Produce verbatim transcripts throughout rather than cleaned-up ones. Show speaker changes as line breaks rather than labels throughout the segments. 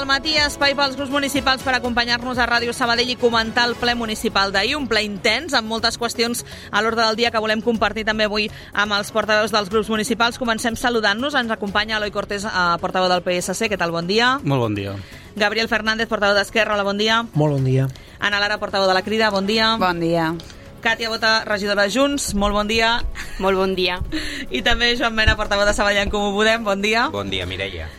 del matí, espai pels grups municipals per acompanyar-nos a Ràdio Sabadell i comentar el ple municipal d'ahir, un ple intens amb moltes qüestions a l'ordre del dia que volem compartir també avui amb els portaveus dels grups municipals. Comencem saludant-nos, ens acompanya Eloi Cortés, portaveu del P S C, què tal, bon dia?
Molt bon dia.
Gabriel Fernández, portaveu d'Esquerra, hola, bon dia.
Molt bon dia.
Ana Lara, portaveu de la Crida, bon dia.
Bon dia.
Càtia Bota, regidora de Junts, molt bon dia.
Molt bon dia.
I també Joan Mena, portaveu de Sabadell en Comú Podem, bon dia.
Bon dia, Mireia.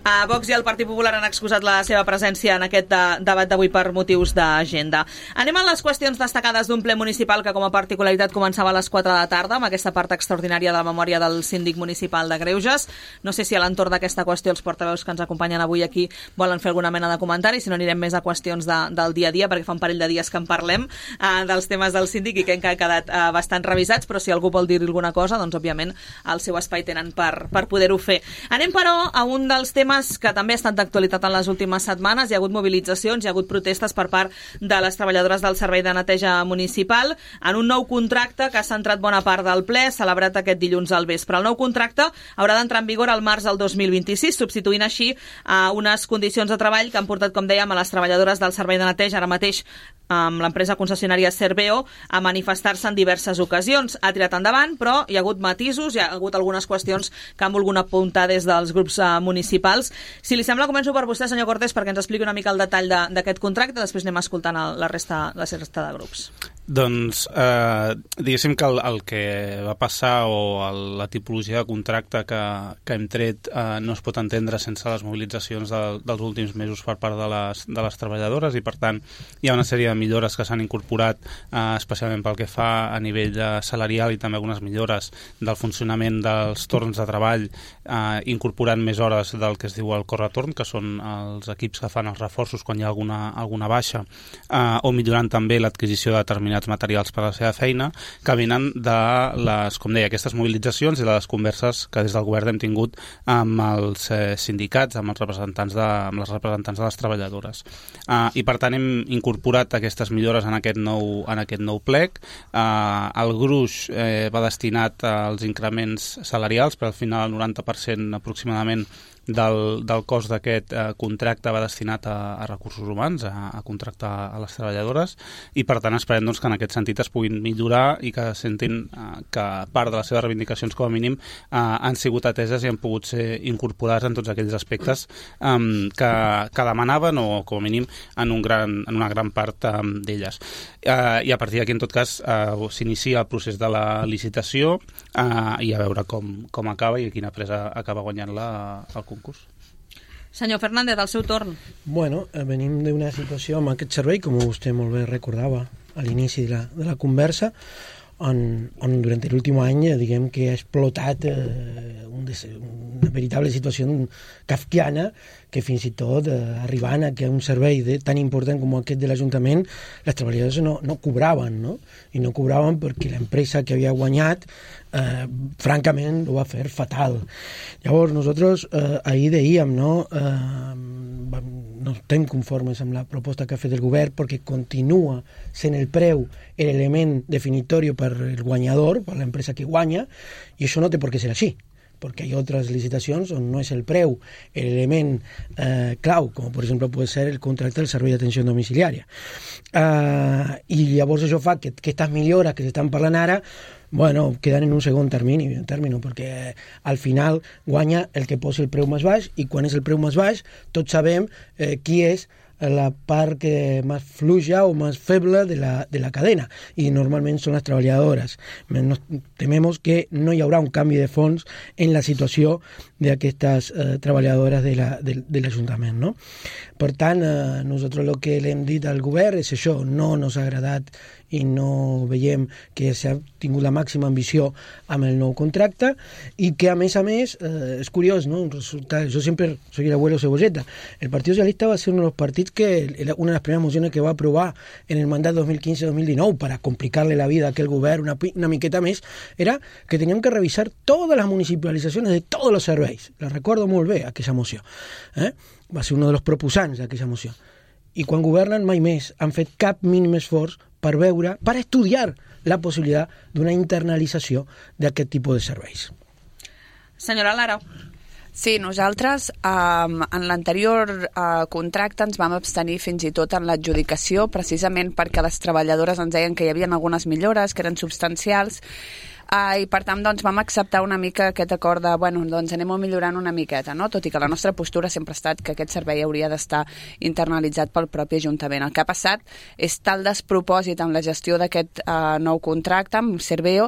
A Vox i el Partit Popular han excusat la seva presència en aquest de, debat d'avui per motius d'agenda. Anem a les qüestions destacades d'un ple municipal que com a particularitat començava a les quatre de la tarda amb aquesta part extraordinària de la memòria del síndic municipal de Greuges. No sé si a l'entorn d'aquesta qüestió els portaveus que ens acompanyen avui aquí volen fer alguna mena de comentari, si no anirem més a qüestions de, del dia a dia, perquè fa un parell de dies que en parlem eh, dels temes del síndic i que han quedat eh, bastant revisats, però si algú vol dir alguna cosa, doncs òbviament el seu espai tenen per, per poder-ho fer. Anem però a un dels temes que també ha estat d'actualitat en les últimes setmanes. Hi ha hagut mobilitzacions, hi ha hagut protestes per part de les treballadores del Servei de Neteja Municipal en un nou contracte que ha centrat bona part del ple, celebrat aquest dilluns al vespre. El nou contracte haurà d'entrar en vigor al març del dos mil vint-i-sis, substituint així a unes condicions de treball que han portat, com dèiem, a les treballadores del Servei de Neteja, ara mateix amb l'empresa concessionària Serveo, a manifestar-se en diverses ocasions. Ha tirat endavant, però hi ha hagut matisos, hi ha hagut algunes qüestions que han volgut apuntar des dels grups uh, municipals. Si li sembla, començo per vostè, senyor Cortés, perquè ens expliqui una mica el detall d'aquest contracte, després anem escoltant el, la, resta, la resta de grups.
Doncs, eh, diguéssim que el, el que va passar o el, la tipologia de contracte que, que hem tret eh, no es pot entendre sense les mobilitzacions de, dels últims mesos per part de les, de les treballadores i, per tant, hi ha una sèrie de millores que s'han incorporat, eh, especialment pel que fa a nivell de salarial i també algunes millores del funcionament dels torns de treball, eh, incorporant més hores del que es diu el corretorn, que són els equips que fan els reforços quan hi ha alguna, alguna baixa, eh, o millorant també l'adquisició de determinats materials per a la seva feina, que venen de les, com deia, aquestes mobilitzacions i de les converses que des del govern hem tingut amb els eh, sindicats, amb els representants de, amb les representants de les treballadores. Uh, I per tant hem incorporat aquestes millores en aquest nou, en aquest nou plec. Uh, el gruix eh, va destinat als increments salarials, però al final el noranta per cent aproximadament del, del cost d'aquest eh, contracte va destinat a, a recursos humans, a, a contractar a les treballadores, i per tant esperem doncs, que en aquest sentit es puguin millorar i que sentin eh, que part de les seves reivindicacions com a mínim eh, han sigut ateses i han pogut ser incorporades en tots aquells aspectes eh, que, que demanaven o com a mínim en, un gran, en una gran part eh, d'elles. Eh, I a partir d'aquí, en tot cas, eh, s'inicia el procés de la licitació eh, i a veure com, com acaba i quina empresa acaba guanyant-la al concurs.
Senyor Fernández, al seu torn.
Bueno, eh, venim d'una situació amb aquest servei, com vostè molt bé recordava a l'inici de la, de la conversa, on, on durant l'últim any eh, diguem que ha explotat eh, un des, una veritable situació kafkiana que fins i tot eh, arribant a que un servei de, tan important com aquest de l'Ajuntament les treballadores no, no cobraven, no? I no cobraven perquè l'empresa que havia guanyat eh, francament ho va fer fatal. Llavors nosaltres eh, ahir dèiem, no? Eh, no estem conformes amb la proposta que ha fet el govern perquè continua sent el preu l'element definitori per el guanyador, per l'empresa que guanya, i això no té per què ser així, perquè hi ha altres licitacions on no és el preu l'element eh, clau, com per exemple pot ser el contracte del servei d'atenció domiciliària. Eh, I llavors això fa que, que aquestes millores que s'estan parlant ara bueno, queden en un segon termini, un termini, perquè al final guanya el que posa el preu més baix, i quan és el preu més baix tots sabem eh, qui és la part que més fluja o més feble de la, de la cadena, i normalment són les treballadores. Nos tememos que no hi haurà un canvi de fons en la situació d'aquestes eh, treballadores de la, de, de l'Ajuntament, no? Per tant, eh, nosaltres el que l'hem dit al govern és això, no ens ha agradat i no veiem que s'ha tingut la màxima ambició amb el nou contracte, i que a més a més eh, és curiós, no? Resulta, jo sempre soy el abuelo cebolleta. El Partit Socialista va ser un dels partits que una de les primeres mocions que va aprovar en el mandat dos mil quince dos mil dinou para complicarle la vida a aquel govern una, una miqueta més, era que teníem que revisar totes les municipalitzacions de tots els serveis. La recordo molt bé, aquella moció. Eh? Va ser un dels proposants d'aquella moció. I quan governen mai més han fet cap mínim esforç per veure, per estudiar la possibilitat d'una internalització d'aquest tipus de serveis.
Senyora Lara.
Sí, nosaltres um, en l'anterior uh, contracte ens vam abstenir fins i tot en l'adjudicació, precisament perquè les treballadores ens deien que hi havia algunes millores, que eren substancials, Uh, i per tant doncs, vam acceptar una mica aquest acord de, bueno, doncs anem millorant una miqueta, no? Tot i que la nostra postura sempre ha estat que aquest servei hauria d'estar internalitzat pel propi Ajuntament. El que ha passat és tal despropòsit amb la gestió d'aquest uh, nou contracte amb Serveo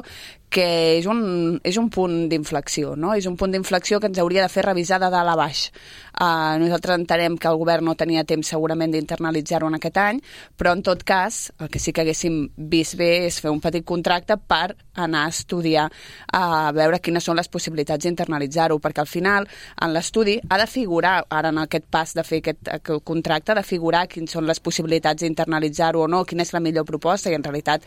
que és un, és un punt d'inflexió, no? És un punt d'inflexió que ens hauria de fer revisar de dalt a baix. Uh, nosaltres entenem que el govern no tenia temps segurament d'internalitzar-ho en aquest any, però en tot cas, el que sí que haguéssim vist bé és fer un petit contracte per anar a estudiar, a veure quines són les possibilitats d'internalitzar-ho, perquè al final, en l'estudi, ha de figurar, ara en aquest pas de fer aquest, aquest contracte, ha de figurar quines són les possibilitats d'internalitzar-ho o no, quina és la millor proposta, i en realitat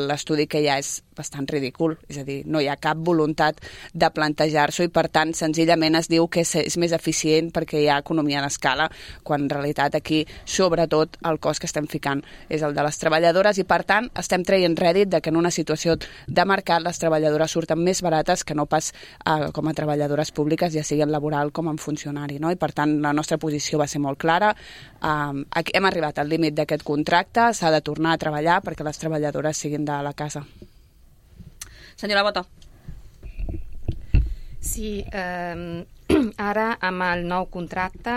l'estudi que hi ha és bastant ridícul, és a dir, no hi ha cap voluntat de plantejar-s'ho i per tant senzillament es diu que és, és més eficient perquè hi ha economia d'escala, quan en realitat aquí sobretot el cost que estem ficant és el de les treballadores i per tant estem traient rèdit de que en una situació de mercat les treballadores surten més barates que no pas eh, com a treballadores públiques, ja sigui en laboral com en funcionari, no? I per tant la nostra posició va ser molt clara, eh, hem arribat al límit d'aquest contracte, s'ha de tornar a treballar perquè les treballadores siguin de la casa.
Senyora Bota.
Sí, eh, ara amb el nou contracte,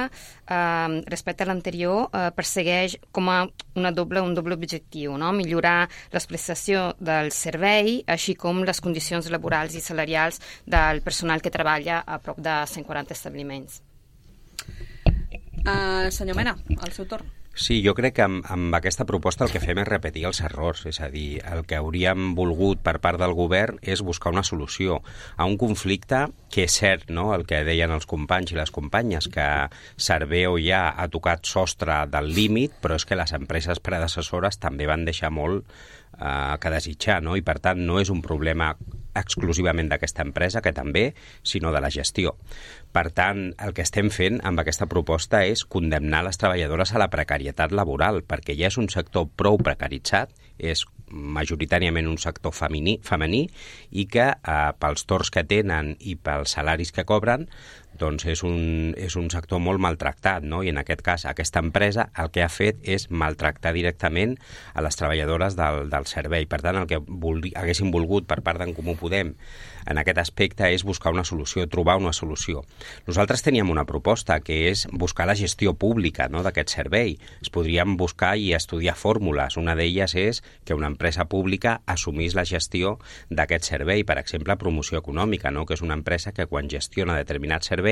eh, respecte a l'anterior, eh, persegueix com a una doble, un doble objectiu, no? Millorar la prestació del servei, així com les condicions laborals i salarials del personal que treballa a prop de cent quaranta establiments.
Uh, senyor Mena, al seu torn.
Sí, jo crec que amb, amb aquesta proposta el que fem és repetir els errors, és a dir, el que hauríem volgut per part del govern és buscar una solució a un conflicte que és cert, no?, el que deien els companys i les companyes, que Serveo ja ha tocat sostre del límit, però és que les empreses predecessores també van deixar molt eh, que desitjar, no?, i per tant no és un problema exclusivament d'aquesta empresa, que també, sinó de la gestió. Per tant, el que estem fent amb aquesta proposta és condemnar les treballadores a la precarietat laboral, perquè ja és un sector prou precaritzat, és majoritàriament un sector femení, femení i que eh, pels torns que tenen i pels salaris que cobren doncs és un, és un sector molt maltractat, no? I en aquest cas aquesta empresa el que ha fet és maltractar directament a les treballadores del, del servei. Per tant, el que vulgui, haguéssim volgut per part d'en Comú Podem en aquest aspecte és buscar una solució, trobar una solució. Nosaltres teníem una proposta que és buscar la gestió pública, no?, d'aquest servei. Es podrien buscar i estudiar fórmules. Una d'elles és que una empresa pública assumís la gestió d'aquest servei, per exemple, promoció econòmica, no?, que és una empresa que quan gestiona determinats serveis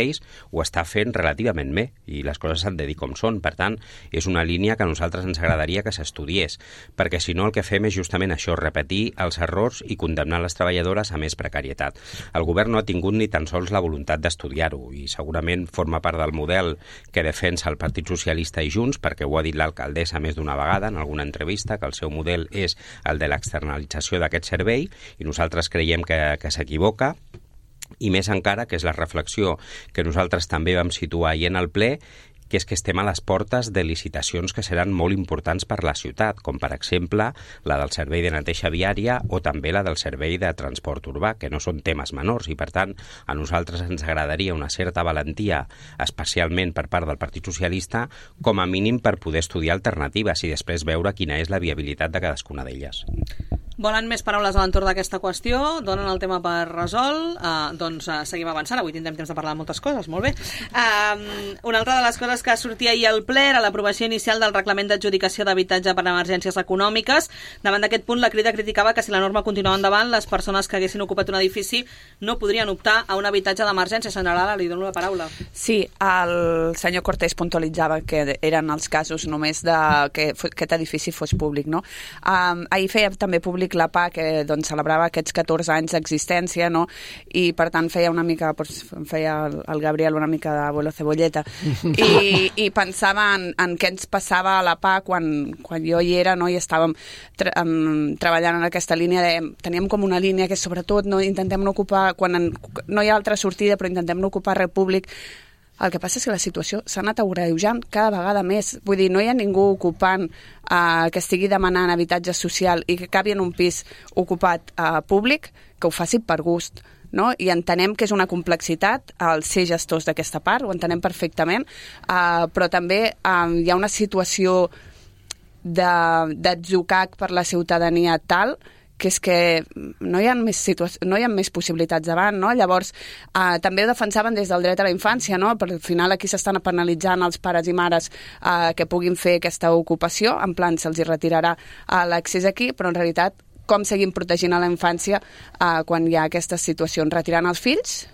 ho està fent relativament bé i les coses s'han de dir com són. Per tant, és una línia que a nosaltres ens agradaria que s'estudiés, perquè si no el que fem és justament això, repetir els errors i condemnar les treballadores a més precarietat. El govern no ha tingut ni tan sols la voluntat d'estudiar-ho i segurament forma part del model que defensa el Partit Socialista i Junts, perquè ho ha dit l'alcaldessa més d'una vegada en alguna entrevista, que el seu model és el de l'externalització d'aquest servei i nosaltres creiem que, que s'equivoca. I més encara, que és la reflexió que nosaltres també vam situar ahir en el ple, que és que estem a les portes de licitacions que seran molt importants per la ciutat, com per exemple la del servei de neteja viària o també la del servei de transport urbà, que no són temes menors i per tant a nosaltres ens agradaria una certa valentia, especialment per part del Partit Socialista, com a mínim per poder estudiar alternatives i després veure quina és la viabilitat de cadascuna d'elles.
Volen més paraules a l'entorn d'aquesta qüestió? Donen el tema per resolt? Uh, doncs uh, seguim avançant. Avui tindrem temps de parlar de moltes coses, molt bé. Uh, una altra de les coses que sortia ahir al ple era l'aprovació inicial del reglament d'adjudicació d'habitatge per a emergències econòmiques. Davant d'aquest punt, la Crida criticava que si la norma continuava endavant, les persones que haguessin ocupat un edifici no podrien optar a un habitatge d'emergència. Senyora Lara, li dono la paraula.
Sí, el senyor Cortés puntualitzava que eren els casos només de que aquest edifici fos públic, no? Um, ahir feia també públic la P A, que doncs, celebrava aquests catorze anys d'existència, no? I per tant feia una mica, doncs, feia el, el Gabriel una mica d'abuelo cebolleta i, i pensava en, en què ens passava a la P A quan, quan jo hi era, no? I estàvem tra um, treballant en aquesta línia de, teníem com una línia que sobretot no intentem no ocupar, quan en, no hi ha altra sortida però intentem no ocupar res públic. El que passa és que la situació s'ha anat agreujant cada vegada més. Vull dir, no hi ha ningú ocupant eh, que estigui demanant habitatge social i que acabi en un pis ocupat eh, públic, que ho faci per gust. no? I entenem que és una complexitat el ser gestors d'aquesta part, ho entenem perfectament, uh, però també uh, hi ha una situació d'atzucac per la ciutadania tal que és que no hi ha més, no hi ha més possibilitats davant, no? Llavors, eh, també ho defensaven des del dret a la infància, no? Per al final aquí s'estan penalitzant els pares i mares eh, que puguin fer aquesta ocupació, en plan se'ls retirarà eh, l'accés aquí, però en realitat com seguim protegint a la infància eh, quan hi ha aquestes situacions? Retirant els fills?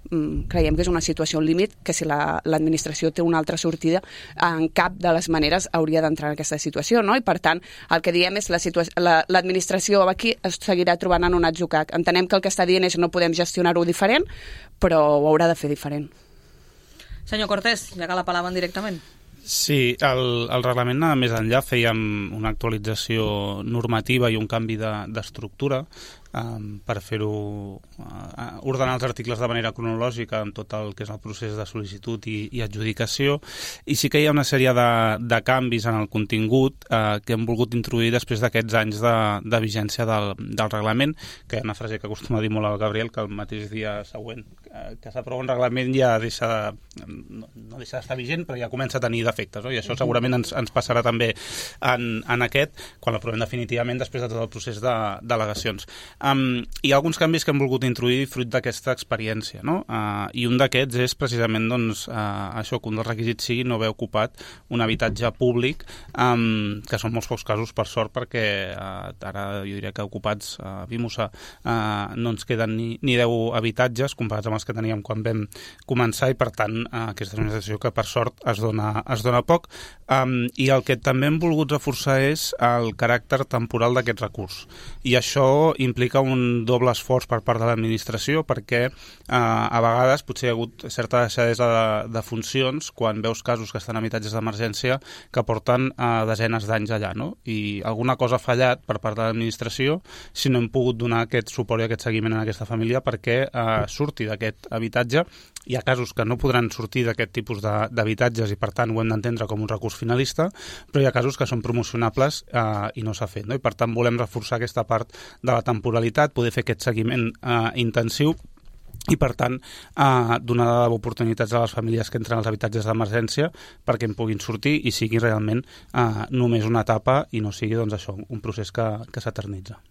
Mm, creiem que és una situació límit que si la, l'administració té una altra sortida en cap de les maneres hauria d'entrar en aquesta situació, no? I per tant el que diem és la situa- la, l'administració aquí es seguirà trobant en un atzucac. Entenem que el que està dient és que no podem gestionar-ho diferent, però ho haurà de fer diferent.
Senyor Cortés, ja que la palaven directament.
Sí, el, el reglament anava més enllà, fèiem una actualització normativa i un canvi de, d'estructura um, per fer-ho, uh, ordenar els articles de manera cronològica en tot el que és el procés de sol·licitud i, i adjudicació, i sí que hi ha una sèrie de, de canvis en el contingut uh, que hem volgut introduir després d'aquests anys de, de vigència del, del reglament, que hi ha una frase que acostuma a dir molt el Gabriel, que el mateix dia següent uh, que s'aprova un reglament ja deixa de, no, no deixa d'estar vigent, però ja comença a tenir defectes, no? I això segurament ens, ens passarà també en, en aquest, quan l'aprovem definitivament després de tot el procés de delegacions. Um, hi ha alguns canvis que hem volgut introduir fruit d'aquesta experiència, no? Uh, I un d'aquests és precisament doncs, uh, això, que un dels requisits sigui no haver ocupat un habitatge públic, um, que són molts pocs casos, per sort, perquè uh, ara jo diria que ocupats a uh, Vimusa uh, no ens queden ni, ni deu habitatges comparats amb els que teníem quan vam començar, i per tant uh, aquesta és una situació que per sort es dona, es dona poc, um, i el que també hem volgut reforçar és el caràcter temporal d'aquest recurs, i això implica un doble esforç per part de l'administració, perquè uh, a vegades potser hi ha hagut certa deixadesa de, de funcions quan veus casos que estan en habitatges d'emergència que porten uh, desenes d'anys allà, no? I alguna cosa ha fallat per part de l'administració si no hem pogut donar aquest suport i aquest seguiment a aquesta família perquè uh, surti d'aquest habitatge. Hi ha casos que no podran sortir d'aquest tipus de, d'habitatges i per tant ho hem d'entendre com un recurs finalista, però hi ha casos que són promocionables eh, i no s'ha fet, no? I per tant volem reforçar aquesta part de la temporalitat, poder fer aquest seguiment eh, intensiu i, per tant, eh, donar oportunitats a les famílies que entren als habitatges d'emergència perquè en puguin sortir i sigui realment eh, només una etapa i no sigui, doncs, això, un procés que, que s'eternitza.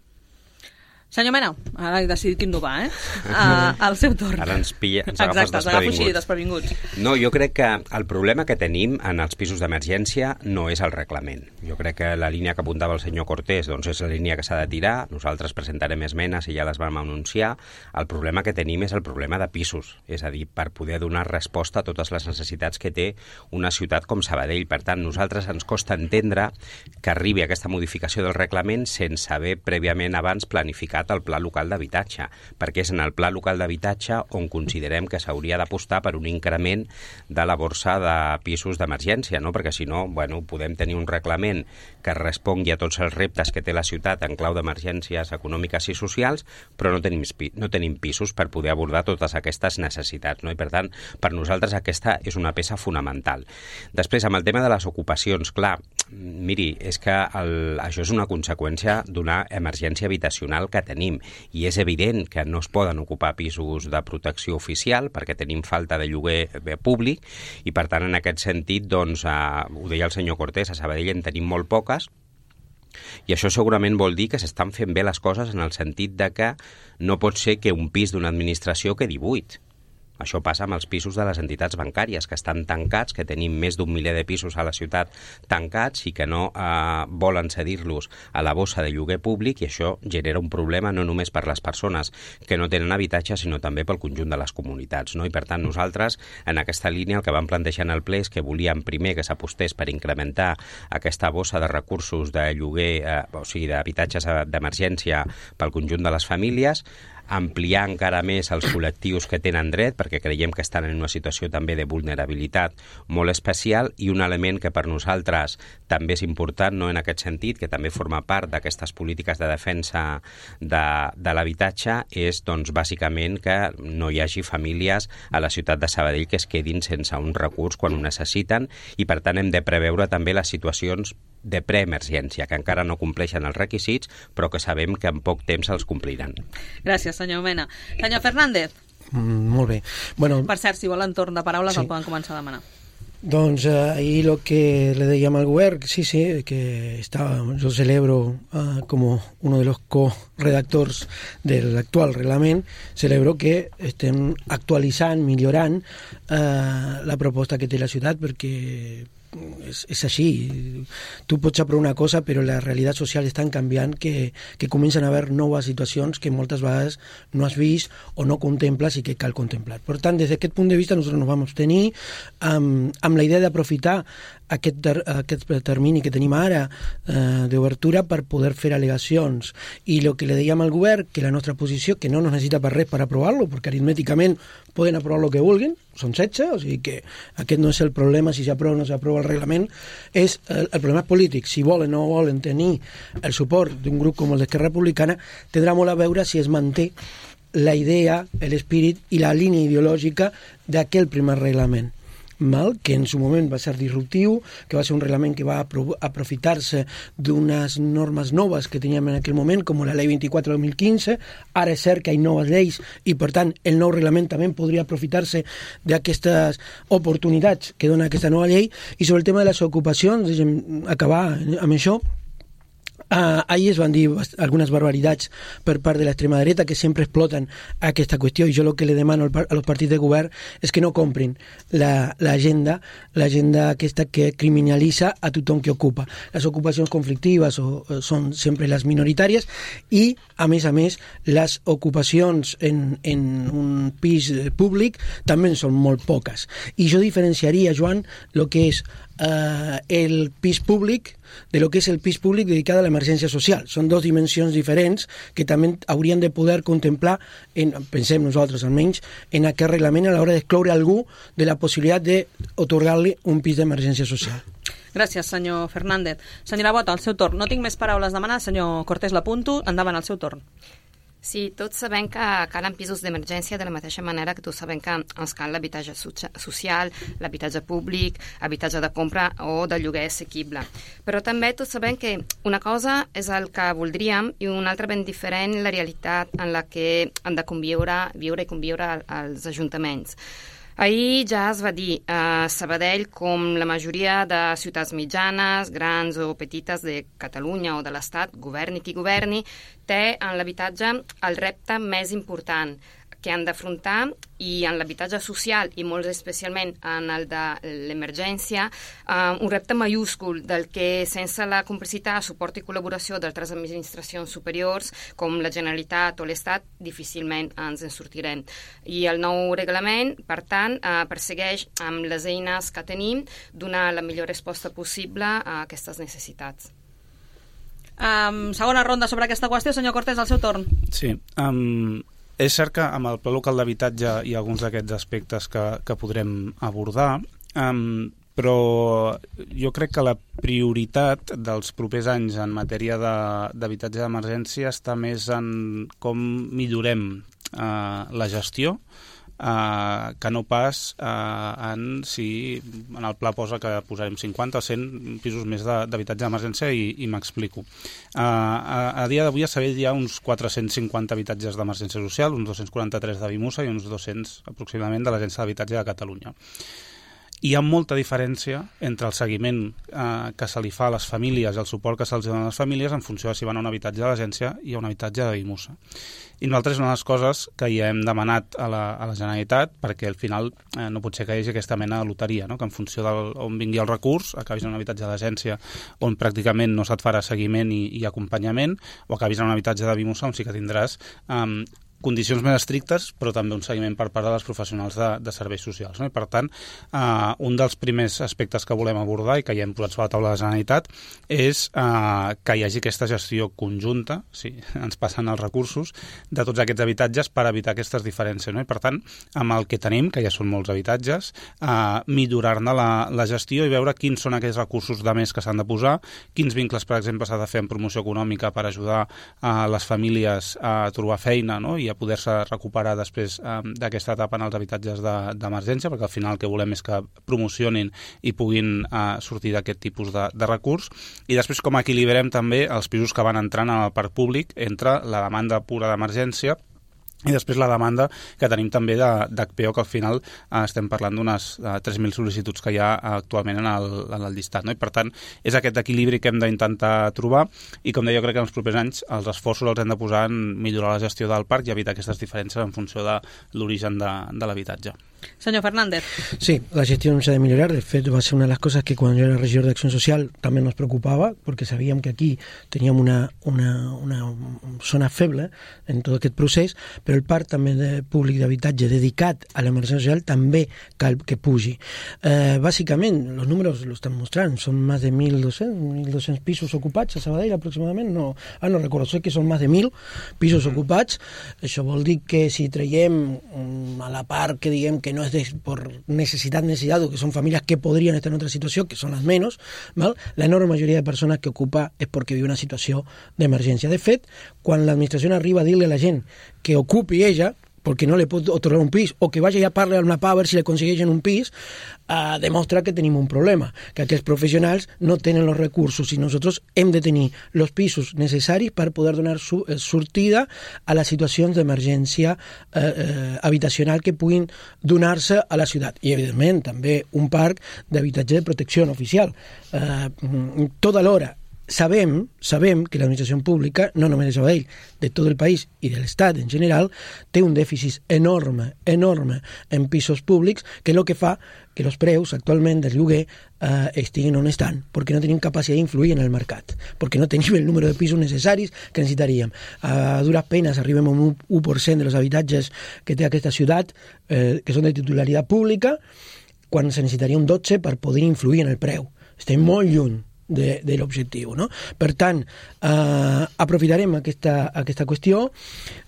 Senyor Mena, ara he decidit quin va, eh? Uh, al seu torn.
Ara ens, pilla, ens agafes
Exacte,
desprevinguts.
Exacte, desprevinguts.
No, jo crec que el problema que tenim en els pisos d'emergència no és el reglament. Jo crec que la línia que apuntava el senyor Cortés doncs és la línia que s'ha de tirar. Nosaltres presentarem esmenes i ja les vam anunciar. El problema que tenim és el problema de pisos, és a dir, per poder donar resposta a totes les necessitats que té una ciutat com Sabadell. Per tant, nosaltres ens costa entendre que arribi aquesta modificació del reglament sense haver prèviament abans planificat el pla local d'habitatge, perquè és en el pla local d'habitatge on considerem que s'hauria d'apostar per un increment de la borsa de pisos d'emergència, no? Perquè si no, bueno, podem tenir un reglament que respongui a tots els reptes que té la ciutat en clau d'emergències econòmiques i socials, però no tenim, no tenim pisos per poder abordar totes aquestes necessitats, no? I per tant, per nosaltres aquesta és una peça fonamental. Després, amb el tema de les ocupacions, clar, miri, és que el, això és una conseqüència d'una emergència habitacional que tenim, i és evident que no es poden ocupar pisos de protecció oficial perquè tenim falta de lloguer públic i per tant en aquest sentit doncs, eh, ho deia el senyor Cortés, a Sabadell en tenim molt poques i això segurament vol dir que s'estan fent bé les coses en el sentit de que no pot ser que un pis d'una administració quedi buit. Això passa amb els pisos de les entitats bancàries, que estan tancats, que tenim més d'un miler de pisos a la ciutat tancats i que no eh, volen cedir-los a la bossa de lloguer públic, i això genera un problema no només per les persones que no tenen habitatge, sinó també pel conjunt de les comunitats, no? I per tant nosaltres, en aquesta línia, el que vam plantejar en el ple és que volíem primer que s'apostés per incrementar aquesta bossa de recursos de lloguer, eh, o sigui, d'habitatges d'emergència pel conjunt de les famílies, ampliar encara més els col·lectius que tenen dret, perquè creiem que estan en una situació també de vulnerabilitat molt especial, i un element que per nosaltres també és important, no en aquest sentit, que també forma part d'aquestes polítiques de defensa de, de l'habitatge, és doncs, bàsicament que no hi hagi famílies a la ciutat de Sabadell que es quedin sense un recurs quan ho necessiten, i per tant hem de preveure també les situacions de preemergència, que encara no compleixen els requisits, però que sabem que en poc temps els compliran.
Gràcies, senyor Mena. Senyor Fernández.
Mm, molt bé. Bueno,
per cert, si volen torn de paraules, sí. El poden començar a demanar.
Doncs eh, ahir el que le dèiem al govern, sí, sí, que está, yo celebro uh, como uno de los co-redactors del actual reglament, celebro que estem actualitzant, millorant uh, la proposta que té la ciutat, perquè és, és així. Tu pots aprovar una cosa, però la realitat social és tan canviant que, que comencen a haver noves situacions que moltes vegades no has vist o no contemples i que cal contemplar. Per tant, des d'aquest punt de vista, nosaltres nos vam abstenir amb, amb la idea d'aprofitar aquest, ter, aquest termini que tenim ara eh, d'obertura per poder fer al·legacions. I el que le dèiem al govern, que la nostra posició, que no nos necessita per res per aprovar-lo, perquè aritmèticament poden aprovar el que vulguin, són setze, o sigui que aquest no és el problema, si s'aprova o no s'aprova el reglament, és el, el problema polític. Si volen o no volen tenir el suport d'un grup com el d'Esquerra Republicana, tindrà molt a veure si es manté la idea, l'espírit i la línia ideològica d'aquell primer reglament. Mal, que en su moment va ser disruptiu, que va ser un reglament que va aprofitar-se d'unes normes noves que teníem en aquell moment, com la llei vint-i-quatre de dos mil quinze. Ara és cert que hi ha noves lleis i, per tant, el nou reglament també podria aprofitar-se d'aquestes oportunitats que dona aquesta nova llei. I sobre el tema de les ocupacions, deixem acabar amb això. Uh, ahir es van dir algunes barbaritats per part de l'extrema dreta que sempre exploten aquesta qüestió, i jo el que le demano a los partits de govern és que no comprin l'agenda l'agenda aquesta que criminalitza a tothom que ocupa. Les ocupacions conflictives o, o són sempre les minoritàries, i a més a més les ocupacions en, en un pis públic també són molt poques, i jo diferenciaria, Joan, el que és Uh, el pis públic de lo que és el pis públic dedicat a l'emergència social. Són dues dimensions diferents que també haurien de poder contemplar, en, pensem nosaltres almenys, en aquest reglament a l'hora d'excloure algú de la possibilitat d'atorgar-li un pis d'emergència social.
Gràcies, senyor Fernández. Senyora Bota, al seu torn. No tinc més paraules a demanar. Senyor Cortés, l'apunto. Endavant, al seu torn.
Sí, tots sabem que calen pisos d'emergència de la mateixa manera que tots sabem que ens cal l'habitatge social, l'habitatge públic, habitatge de compra o de lloguer assequible. Però també tots sabem que una cosa és el que voldríem i una altra ben diferent la realitat en la que han de conviure, viure i conviure als ajuntaments. Ahir ja es va dir a eh, Sabadell, com la majoria de ciutats mitjanes, grans o petites de Catalunya o de l'Estat, governi qui governi, té en l'habitatge el repte més important que han d'afrontar, i en l'habitatge social i molt especialment en el de l'emergència, eh, un repte mayúscul del que sense la complicitat, suport i col·laboració d'altres administracions superiors com la Generalitat o l'Estat difícilment ens en sortirem. I el nou reglament, per tant, eh, persegueix amb les eines que tenim donar la millor resposta possible a aquestes necessitats.
Um, segona ronda sobre aquesta qüestió, senyor Cortés, al seu torn.
Sí, um... és cert que amb el pla local d'habitatge hi ha alguns d'aquests aspectes que, que podrem abordar, um, però jo crec que la prioritat dels propers anys en matèria d'habitatge d'emergència està més en com millorem uh, la gestió, Uh, que no pas uh, en si en el pla posa que posarem cinquanta o cent pisos més d'habitatge d'emergència, i, i m'explico. Uh, a, a dia d'avui a Sabadell hi ha uns quatre-cents cinquanta habitatges d'emergència social, uns dos-cents quaranta-tres de Vimusa i uns dos-cents aproximadament de l'Agència d'Habitatge de Catalunya. Hi ha molta diferència entre el seguiment eh, que se li fa a les famílies i el suport que se'ls dona a les famílies en funció de si van a un habitatge de l'agència i a un habitatge de Vimusa. I nosaltres una de les coses que ja hem demanat a la, a la Generalitat, perquè al final eh, no pot ser que hi hagi aquesta mena de loteria, no? Que en funció d'on vingui el recurs acabis en un habitatge d'agència on pràcticament no se't farà seguiment i, i acompanyament, o acabis en un habitatge de Vimusa on sí que tindràs eh, condicions més estrictes, però també un seguiment per part de les professionals de, de serveis socials. No? I per tant, eh, un dels primers aspectes que volem abordar i que ja hem posat sobre la taula de la Generalitat és eh, que hi hagi aquesta gestió conjunta, si ens passen els recursos, de tots aquests habitatges per evitar aquestes diferències. No? I per tant, amb el que tenim, que ja són molts habitatges, eh, millorar-ne la, la gestió i veure quins són aquells recursos de més que s'han de posar, quins vincles, per exemple, s'ha de fer en promoció econòmica per ajudar a les famílies a trobar feina, no? I i a poder-se recuperar després eh, d'aquesta etapa en els habitatges d'emergència, de, perquè al final el que volem és que promocionin i puguin eh, sortir d'aquest tipus de, de recurs. I després com equilibrem també els pisos que van entrant en el parc públic entre la demanda pura d'emergència i després la demanda que tenim també d'H P O, que al final eh, estem parlant d'unes eh, tres mil sol·licituds que hi ha actualment en el, en el llistat. No? I per tant, és aquest equilibri que hem d'intentar trobar i, com deia, jo crec que en els propers anys els esforços els hem de posar en millorar la gestió del parc i evitar aquestes diferències en funció de l'origen de, de l'habitatge.
Senyor Fernández.
Sí, la gestión se ha de mejorar. De hecho, va a ser una de las cosas que cuando yo era regidor de Acción Social también nos preocupaba, porque sabíamos que aquí teníamos una, una, una zona feble en tot aquest procés, però el parc també de públic d'habitatge dedicat a l'emergència social també cal que pugi. Eh, bàsicament, els números lo estan mostrant, són més de mil dos-cents pisos ocupats a Sabadell aproximadament, no, ah, no recordo, sé que són més de mil pisos ocupats. Això vol dir que si traiem a la part que diguem que no es de, por necesidad, necesidad, o que son familias que podrían estar en otra situación, que son las menos, ¿val? La enorme mayoría de personas que ocupa es porque vive una situación de emergencia. De fet, quan l'administració arriba a dir-li a la gent que ocupi ella, perquè no li pot otorgar un pis, o que vagi a parlar al MAPA a veure si li aconsegueixen un pis, eh, demostra que tenim un problema, que aquests professionals no tenen els recursos i nosaltres hem de tenir els pisos necessaris per poder donar su sortida a les situacions d'emergència eh, eh, habitacional que puguin donar-se a la ciutat. I, evidentment, també un parc d'habitatge de protecció oficial. Eh, tota l'hora Sabem, sabem que l'administració pública, no només de Sabadell, de tot el país i de l'Estat en general, té un dèficit enorme, enorme en pisos públics, que és el que fa que els preus actualment del lloguer eh, estiguin on estan, perquè no tenim capacitat d'influir en el mercat, perquè no tenim el número de pisos necessaris que necessitaríem. A dures penes arribem a un u per cent de los habitatges que té aquesta ciutat, eh, que són de titularitat pública, quan se necessitaria un dotze per poder influir en el preu. Estem molt lluny de, de l'objectiu, no? Per tant, eh, aprofitarem aquesta, aquesta qüestió.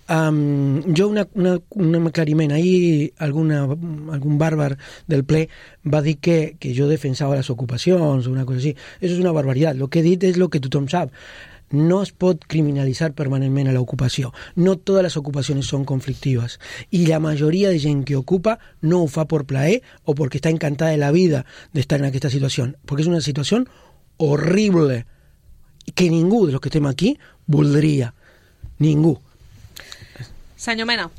Um, jo una, una, un aclariment, ahir alguna, algun bàrbar del ple va dir que, que jo defensava les ocupacions o una cosa així. Això és una barbaritat. El que he dit és el que tothom sap. No es pot criminalitzar permanentment a l'ocupació. No totes les ocupacions són conflictives. I la majoria de gent que ocupa no ho fa per plaer o perquè està encantada de la vida d'estar en aquesta situació. Perquè és una situació horrible que ningú de los que estem aquí voldria. Ningú.
Senyor Mena.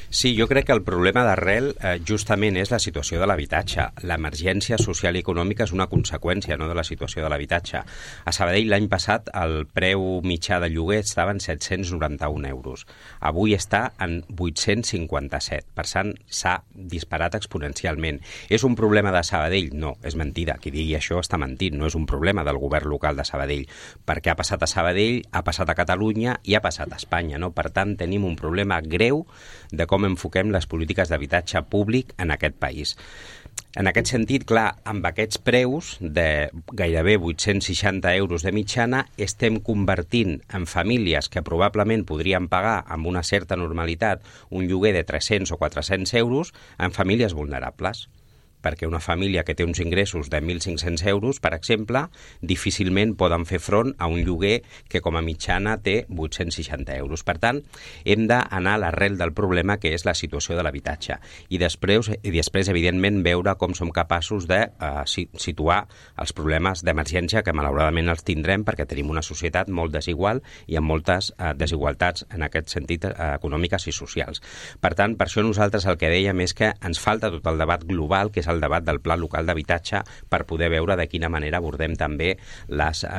Sí, jo crec que el problema d'arrel eh, justament és la situació de l'habitatge. L'emergència social i econòmica és una conseqüència, no, de la situació de l'habitatge. A Sabadell l'any passat el preu mitjà de lloguer estava en set-cents noranta-un euros. Avui està en vuit-cents cinquanta-set. Per tant, s'ha disparat exponencialment. És un problema de Sabadell? No, és mentida. Qui digui això està mentint. No és un problema del govern local de Sabadell. Perquè ha passat a Sabadell, ha passat a Catalunya i ha passat a Espanya, no? Per tant, tenim un problema greu de com enfoquem les polítiques d'habitatge públic en aquest país. En aquest sentit, clar, amb aquests preus de gairebé vuit-cents seixanta euros de mitjana, estem convertint en famílies que probablement podrien pagar amb una certa normalitat un lloguer de tres-cents o quatre-cents euros en famílies vulnerables. Perquè una família que té uns ingressos de mil cinc-cents euros, per exemple, difícilment poden fer front a un lloguer que com a mitjana té vuit-cents seixanta euros. Per tant, hem d'anar a l'arrel del problema, que és la situació de l'habitatge. I després, i després, evidentment, veure com som capaços de uh, situar els problemes d'emergència, que malauradament els tindrem perquè tenim una societat molt desigual i amb moltes uh, desigualtats en aquest sentit uh, econòmiques i socials. Per tant, per això nosaltres el que dèiem és que ens falta tot el debat global, que és el debat del pla local d'habitatge, per poder veure de quina manera abordem també les, eh,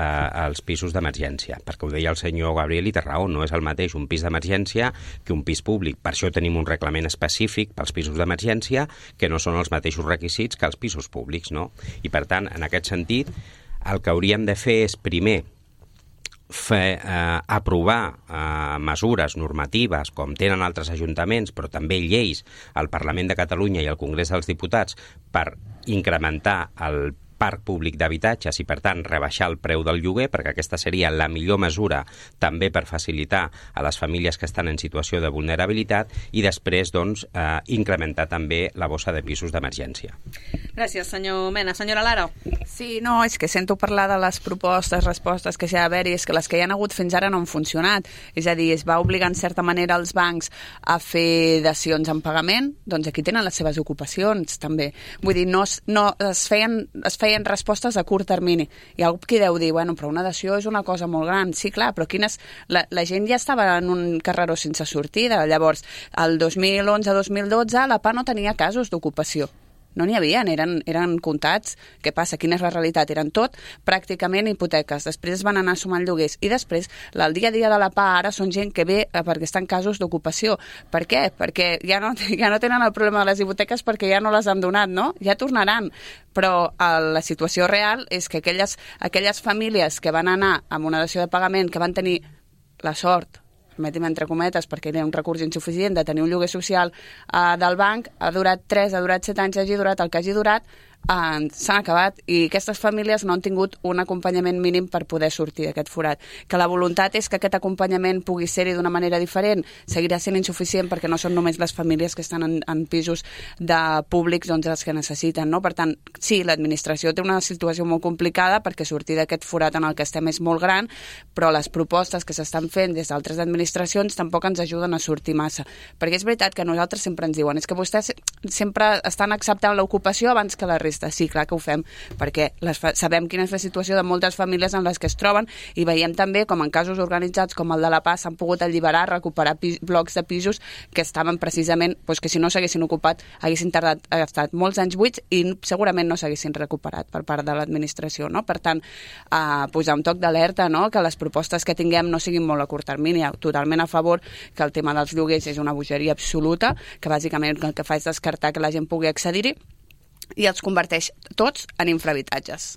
els pisos d'emergència. Perquè ho deia el senyor Gabriel i té raó, no és el mateix un pis d'emergència que un pis públic. Per això tenim un reglament específic pels pisos d'emergència que no són els mateixos requisits que els pisos públics, no? I per tant, en aquest sentit, el que hauríem de fer és primer fer, eh, aprovar eh, mesures normatives com tenen altres ajuntaments, però també lleis al Parlament de Catalunya i al Congrés dels Diputats per incrementar el parc públic d'habitatges i, per tant, rebaixar el preu del lloguer, perquè aquesta seria la millor mesura també per facilitar a les famílies que estan en situació de vulnerabilitat i després doncs, eh, incrementar també la bossa de pisos d'emergència.
Gràcies, senyor Mena. Senyora Lara.
Sí, no, és que sento parlar de les propostes, respostes que s'hi ha d'haver-hi, és que les que hi ha hagut fins ara no han funcionat. És a dir, es va obligar en certa manera els bancs a fer dacions en pagament, doncs aquí tenen les seves ocupacions també. Vull dir, no, no es feien, es feien respostes a curt termini. Hi ha algú qui deu dir, bueno, però una dació és una cosa molt gran. Sí, clar, però quines... La, la gent ja estava en un carreró sense sortida. Llavors, el dos mil onze dos mil dotze la P A no tenia casos d'ocupació. No n'hi havia, eren, eren comptats. Què passa? Quina és la realitat? Eren tot pràcticament hipoteques. Després van anar sumant lloguers. I després, el dia a dia de la P A ara són gent que ve perquè estan en casos d'ocupació. Per què? Perquè ja no, ja no tenen el problema de les hipoteques perquè ja no les han donat, no? Ja tornaran. Però eh, la situació real és que aquelles, aquelles famílies que van anar amb una dació de pagament, que van tenir la sort, permetim entre cometes, perquè era un recurs insuficient de tenir un lloguer social eh, del banc, ha durat tres, ha durat set anys, hagi durat el que hagi durat, eh, s'han acabat i aquestes famílies no han tingut un acompanyament mínim per poder sortir d'aquest forat. Que la voluntat és que aquest acompanyament pugui ser-hi d'una manera diferent, seguirà sent insuficient perquè no són només les famílies que estan en, en pisos de públics doncs, els que necessiten, no? Per tant, sí, l'administració té una situació molt complicada perquè sortir d'aquest forat en el que estem és molt gran, però les propostes que s'estan fent des d'altres administracions tampoc ens ajuden a sortir massa. Perquè és veritat que nosaltres sempre ens diuen és que vostès sempre estan acceptant l'ocupació abans que la resta. Sí, clar que ho fem, perquè les fa... sabem quina és la situació de moltes famílies en les que es troben i veiem també com en casos organitzats com el de la P A s'han pogut alliberar, recuperar pis... blocs de pisos que estaven precisament, doncs que si no s'haguessin ocupat haguessin tardat, ha estat molts anys buits i segurament no s'haguessin recuperat per part de l'administració, no? Per tant, eh, posar un toc d'alerta, no? Que les propostes que tinguem no siguin molt a curt termini, totalment a favor que el tema dels lloguers és una bogeria absoluta, que bàsicament el que fa és descartar que la gent pugui accedir-hi i els converteix tots en infrahabitatges.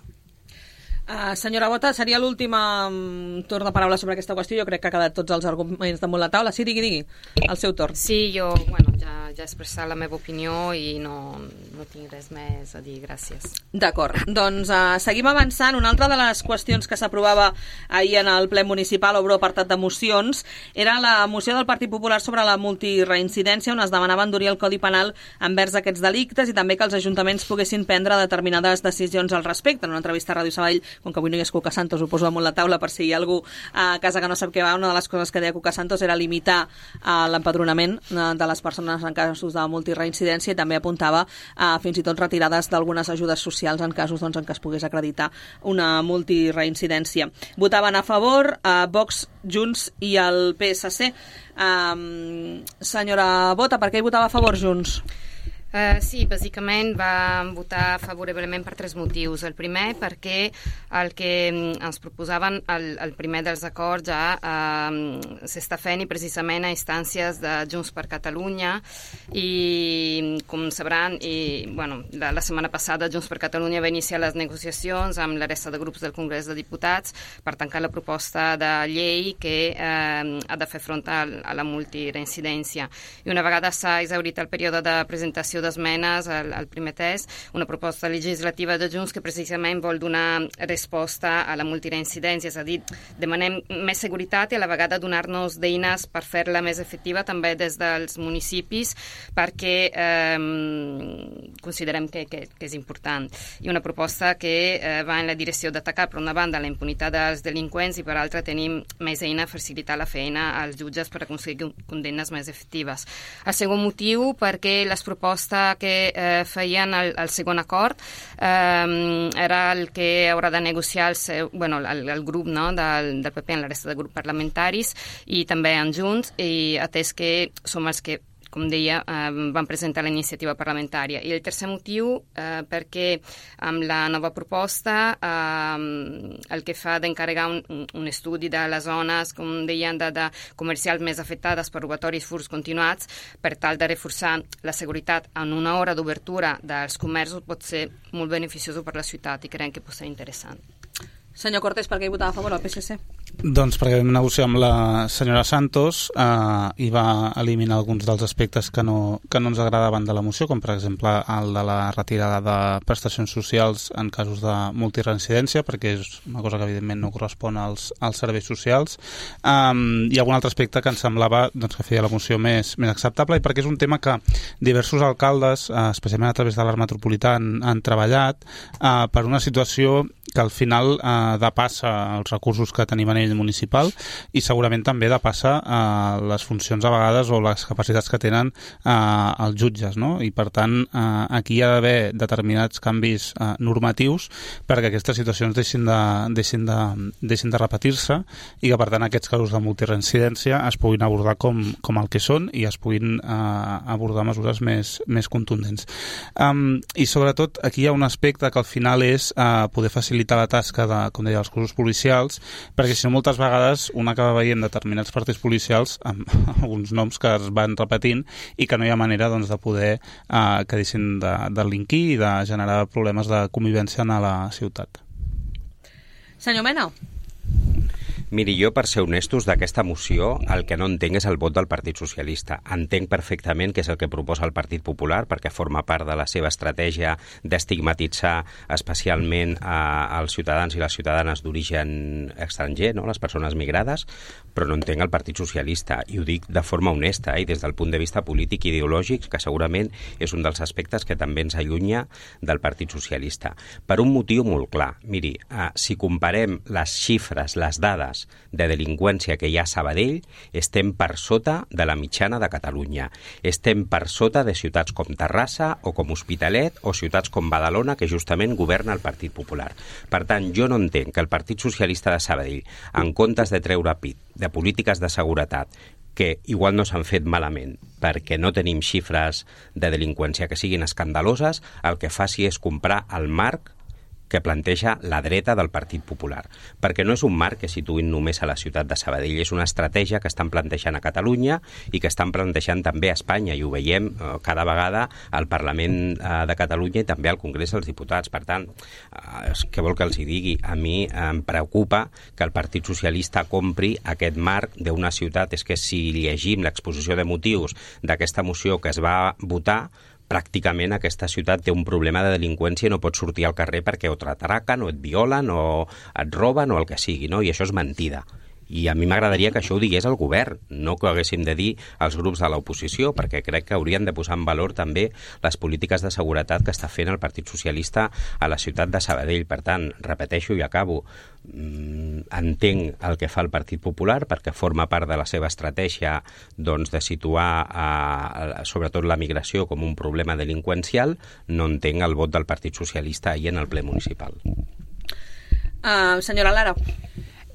Uh, senyora Bota, seria l'últim um, torn de paraula sobre aquesta qüestió. Jo crec que ha quedat tots els arguments damunt la taula. Sí, digui, digui, el seu torn.
Sí, jo, bueno, ja, ja he expressat la meva opinió i no, no tinc res més a dir, gràcies.
D'acord, doncs uh, seguim avançant. Una altra de les qüestions que s'aprovava ahir en el ple municipal, obro apartat de mocions, era la moció del Partit Popular sobre la multireincidència, on es demanava endurir el Codi Penal envers aquests delictes i també que els ajuntaments poguessin prendre determinades decisions al respecte. En una entrevista a Ràdio Sabadell, com que avui no hi ha Cuca Santos, ho poso damunt la taula per si hi ha algú a casa que no sap què va, una de les coses que deia Cuca Santos era limitar uh, l'empadronament uh, de les persones en casos de multireincidència i també apuntava uh, fins i tot retirades d'algunes ajudes socials en casos doncs, en què es pogués acreditar una multireincidència. Votaven a favor uh, Vox, Junts i el P S C. Um, senyora Bota, per què hi votava a favor Junts?
Uh, sí, bàsicament vam votar favorablement per tres motius. El primer, perquè el que ens proposaven, el, el primer dels acords ja uh, s'està fent i precisament a instàncies de Junts per Catalunya i, com sabran, i, bueno, la, la setmana passada Junts per Catalunya va iniciar les negociacions amb la resta de grups del Congrés de Diputats per tancar la proposta de llei que uh, ha de fer front a, a la multireincidència. I una vegada s'ha exhaurit el període de presentació d'esmenes al, al primer test, una proposta legislativa de Junts que precisament vol donar resposta a la multireincidència, és a dir, demanem més seguretat i a la vegada donar-nos d'eines per fer-la més efectiva també des dels municipis perquè eh, considerem que, que, que és important. I una proposta que eh, va en la direcció d'atacar per una banda la impunitat dels delinqüents i per altra tenim més eina a facilitar la feina als jutges per aconseguir condemnes més efectives. El segon motiu perquè les propostes que eh, feien el, el segon acord eh, era el que haurà de negociar el, seu, bueno, el, el grup no, del, del P P en la resta de grups parlamentaris i també en Junts, i atès que som els que, com deia, eh, van presentar la iniciativa parlamentària. I el tercer motiu, eh, perquè amb la nova proposta eh, el que fa d'encarregar un, un estudi de les zones, com deien, de, de comercials més afectades per robatoris, furts continuats, per tal de reforçar la seguretat en una hora d'obertura dels comerços pot ser molt beneficioso per la ciutat i creiem que pot ser interessant.
Senyor Cortés, per què hi votava a favor el P S C?
Doncs perquè vam negociar amb la senyora Santos eh, i va eliminar alguns dels aspectes que no, que no ens agradaven de la moció, com per exemple el de la retirada de prestacions socials en casos de multireincidència, perquè és una cosa que evidentment no correspon als, als serveis socials, um, i algun altre aspecte que ens semblava doncs, que feia la moció més, més acceptable, i perquè és un tema que diversos alcaldes, eh, especialment a través de l'Art Metropolità, han, han treballat eh, per una situació que al final eh, depassa els recursos que tenim a nivell municipal i segurament també depassa eh, les funcions a vegades o les capacitats que tenen eh, els jutges, no? I per tant eh, aquí hi ha d'haver determinats canvis eh, normatius perquè aquestes situacions deixin de, deixin de, deixin de repetir-se i que per tant aquests casos de multireincidència es puguin abordar com, com el que són i es puguin eh, abordar mesures més, més contundents. Um, I sobretot aquí hi ha un aspecte que al final és eh, poder facilitar la tasca de, com deia, els cossos policials, perquè si no moltes vegades un acaba veient determinats partits policials amb alguns noms que es van repetint i que no hi ha manera doncs, de poder eh, que deixin de, de delinquir i de generar problemes de convivència a la ciutat.
Senyor Mena.
Miri, jo, per ser honestos, d'aquesta moció el que no entenc és el vot del Partit Socialista. Entenc perfectament que és el que proposa el Partit Popular, perquè forma part de la seva estratègia d'estigmatitzar especialment a, als ciutadans i les ciutadanes d'origen estranger, no? Les persones migrades, però no entenc el Partit Socialista, i ho dic de forma honesta, eh? I des del punt de vista polític i ideològic, que segurament és un dels aspectes que també ens allunya del Partit Socialista. Per un motiu molt clar. Miri, eh, si comparem les xifres, les dades de delinqüència que hi ha a Sabadell, estem per sota de la mitjana de Catalunya. Estem per sota de ciutats com Terrassa o com Hospitalet o ciutats com Badalona, que justament governa el Partit Popular. Per tant, jo no entenc que el Partit Socialista de Sabadell, en comptes de treure pit de polítiques de seguretat, que igual no s'han fet malament perquè no tenim xifres de delinqüència que siguin escandaloses, el que faci és comprar el marc que planteja la dreta del Partit Popular. Perquè no és un marc que situïn només a la ciutat de Sabadell, és una estratègia que estan plantejant a Catalunya i que estan plantejant també a Espanya, i ho veiem eh, cada vegada al Parlament eh, de Catalunya i també al Congrés dels Diputats. Per tant, eh, què vol que els hi digui? A mi eh, em preocupa que el Partit Socialista compri aquest marc d'una ciutat. És que si llegim l'exposició de motius d'aquesta moció que es va votar, pràcticament aquesta ciutat té un problema de delinqüència i no pots sortir al carrer perquè o t'atraquen o et violen o et roben o el que sigui, no? I això és mentida. I a mi m'agradaria que això ho digués el govern, no que ho haguéssim de dir als grups de l'oposició, perquè crec que haurien de posar en valor també les polítiques de seguretat que està fent el Partit Socialista a la ciutat de Sabadell. Per tant, repeteixo i acabo, mm, entenc el que fa el Partit Popular perquè forma part de la seva estratègia doncs, de situar a, a, sobretot la migració com un problema delinqüencial. No entenc el vot del Partit Socialista ahir en el ple municipal.
Uh, senyora Lara.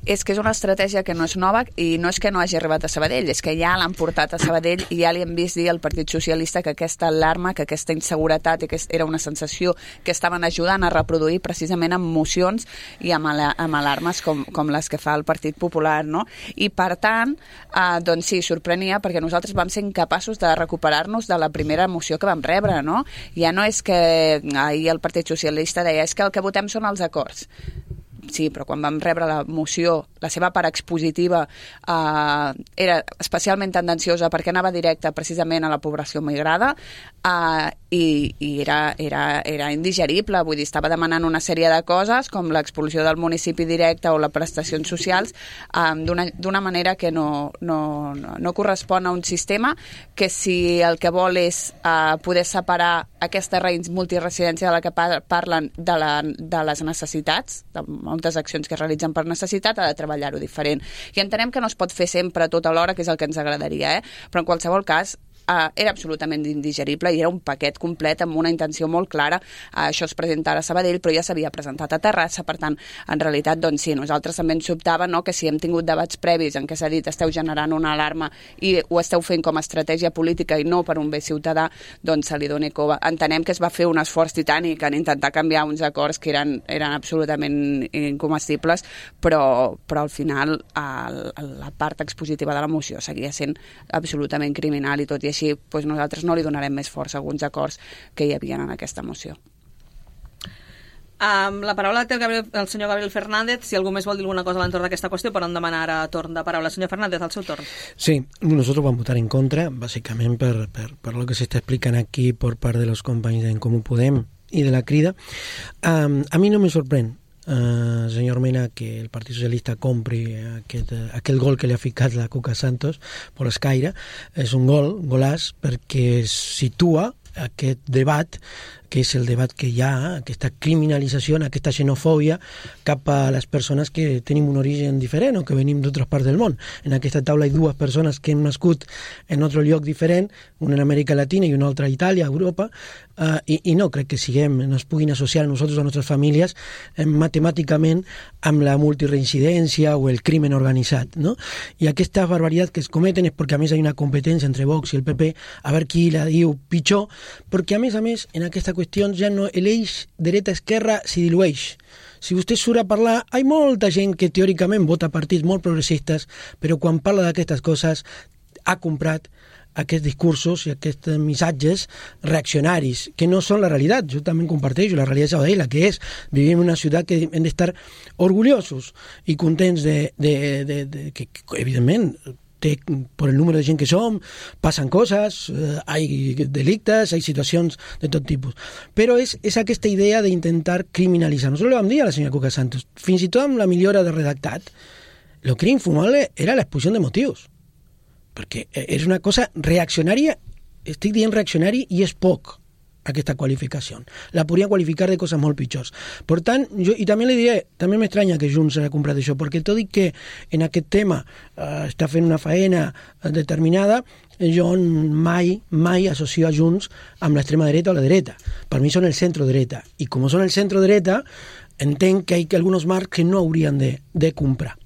És que és una estratègia que no és nova i no és que no hagi arribat a Sabadell, és que ja l'han portat a Sabadell i ja li hem vist dir al Partit Socialista que aquesta alarma, que aquesta inseguretat i que era una sensació que estaven ajudant a reproduir precisament amb mocions i amb, ala, amb alarmes com, com les que fa el Partit Popular, no? I per tant, eh, doncs sí, sorprenia perquè nosaltres vam ser incapaços de recuperar-nos de la primera moció que vam rebre, no? Ja no és que ahir el Partit Socialista deia és que el que votem són els acords. Sí, però quan vam rebre la moció, la seva part expositiva eh, era especialment tendenciosa perquè anava directa precisament a la població migrada eh, i, i era, era, era indigerible, vull dir, estava demanant una sèrie de coses com l'expulsió del municipi directe o les prestacions socials eh, d'una manera que no, no, no, no correspon a un sistema que si el que vol és eh, poder separar aquesta multiresidència de la que parlen de, la, de les necessitats, de moltes accions que es realitzen per necessitat, ha de treballar-ho diferent. I entenem que no es pot fer sempre tot alhora, que és el que ens agradaria, eh? Però en qualsevol cas, Uh, era absolutament indigerible i era un paquet complet amb una intenció molt clara. Uh, això es presenta ara a Sabadell, però ja s'havia presentat a Terrassa, per tant, en realitat, doncs sí, nosaltres també ens sobtava, no?, que si hem tingut debats previs en què s'ha dit esteu generant una alarma i ho esteu fent com a estratègia política i no per un bé ciutadà, doncs se li doni cova. Entenem que es va fer un esforç titànic en intentar canviar uns acords que eren, eren absolutament incomestibles, però, però al final el, la part expositiva de la moció seguia sent absolutament criminal i tot i així així doncs nosaltres no li donarem més força a alguns acords que hi havia en aquesta moció.
Um, la paraula té el, Gabriel, el senyor Gabriel Fernández. Si algú més vol dir alguna cosa a l'entorn d'aquesta qüestió, poden demanar ara torn de paraula. Senyor Fernández, al seu torn.
Sí, nosotros vamos a votar en contra, básicamente por, por, por lo que se está explicando aquí por parte de los compañeros de En Comú Podem y de la Crida. Um, a mí no me sorprende, uh, senyor Mena, que el Partit Socialista compri aquest, uh, aquell gol que li ha ficat la Cuca Santos per l'escaire. És un gol, golaç, perquè situa aquest debat, que és el debat que hi ha, aquesta criminalització, aquesta xenofòbia cap a les persones que tenim un origen diferent o que venim d'altres parts del món. En aquesta taula hi ha dues persones que han nascut en un altre lloc diferent, una en Amèrica Latina i una altra a Itàlia, a Europa, uh, i, i no crec que siguem, no es puguin associar a nosaltres, a les nostres famílies, eh, matemàticament amb la multireincidència o el crimen organitzat, no? I aquesta barbaritat que es cometen és perquè a més hi ha una competència entre Vox i el P P a veure qui la diu pitjor, perquè a més a més en aquesta qüestió ja no l'eix dreta-esquerra s'hi dilueix. Si vostè surt a parlar, hi ha molta gent que teòricament vota partits molt progressistes, però quan parla d'aquestes coses ha comprat aquests discursos i aquests missatges reaccionaris, que no són la realitat. Jo també comparteixo la realitat de Sabadell, la que és. Vivim en una ciutat que hem d'estar orgullosos i contents de, de, de, de que, evidentment, té, per el número de gent que som, passen coses, eh, hi ha delictes, hi ha situacions de tot tipus. Però és, és aquesta idea d'intentar criminalitzar. Nosaltres li vam dir a la senyora Cuca Santos, fins i tot amb la millora de redactat, el que era infumable era l'exposició de motius. Perquè és una cosa reaccionària, estic dient reaccionari, i és poc aquesta qualificació. La podria qualificar de coses molt pitjors. Per tant, jo, i també li diré, també m'estranya que Junts hagi comprat això, perquè tot i que en aquest tema eh, està fent una faena determinada, jo mai, mai associo a Junts amb l'extrema dreta o la dreta. Per mi són el centro-dreta. I com són el centro-dreta, entenc que hi ha alguns marcs que no haurien de, de comprar.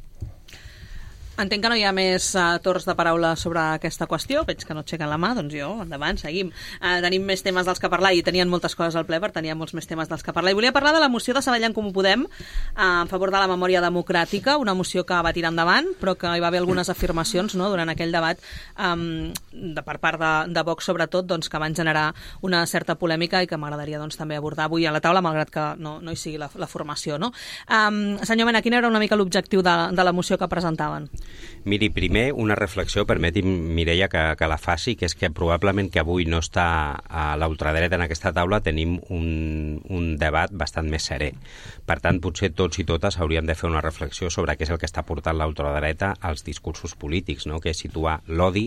Entenc que no hi ha més uh, torns de paraula sobre aquesta qüestió. Veig que no aixequen la mà, doncs jo, endavant, seguim. Uh, tenim més temes dels que parlar i tenien moltes coses al ple, per tenir molts més temes dels que parlar. I volia parlar de la moció de Sabadell en Comú Podem uh, en favor de la memòria democràtica, una moció que va tirar endavant, però que hi va haver algunes afirmacions, no?, durant aquell debat um, de, per part de, de Vox, sobretot, doncs, que van generar una certa polèmica i que m'agradaria doncs, també abordar avui a la taula, malgrat que no, no hi sigui la, la formació. No? Um, senyor Mena, quin era una mica l'objectiu de, de la moció que presentaven?
Miri, primer una reflexió, permeti'm, Mireia, que, que la faci, que és que probablement que avui no està a l'ultradreta en aquesta taula, tenim un, un debat bastant més serè. Per tant, potser tots i totes hauríem de fer una reflexió sobre què és el que està portant l'ultradreta als discursos polítics, no?, que és situar l'odi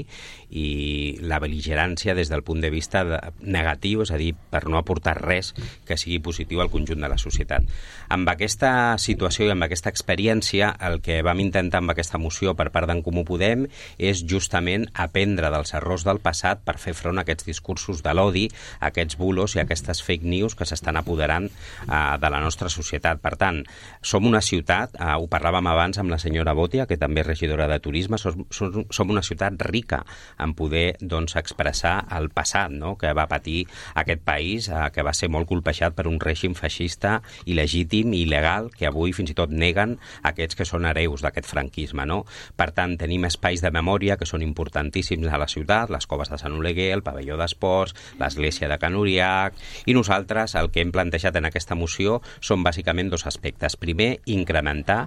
i la bel·ligerància des del punt de vista de, negatiu, és a dir, per no aportar res que sigui positiu al conjunt de la societat. Amb aquesta situació i amb aquesta experiència, el que vam intentar amb aquesta moció per part d'en Comú Podem és justament aprendre dels errors del passat per fer front a aquests discursos de l'odi, a aquests bulos i a aquestes fake news que s'estan apoderant eh, de la nostra societat. Per tant, som una ciutat, eh, ho parlàvem abans amb la senyora Botia, que també és regidora de turisme, som, som, som una ciutat rica en poder doncs, expressar el passat, no?, que va patir aquest país, eh, que va ser molt colpejat per un règim feixista il·legítim i il·legal, que avui fins i tot neguen aquests que són hereus d'aquest franquisme, no? Per tant, tenim espais de memòria que són importantíssims a la ciutat, les coves de Sant Oleguer, el pavelló d'esports, l'església de Can Uriach, i nosaltres el que hem plantejat en aquesta moció són bàsicament dos aspectes. Primer, incrementar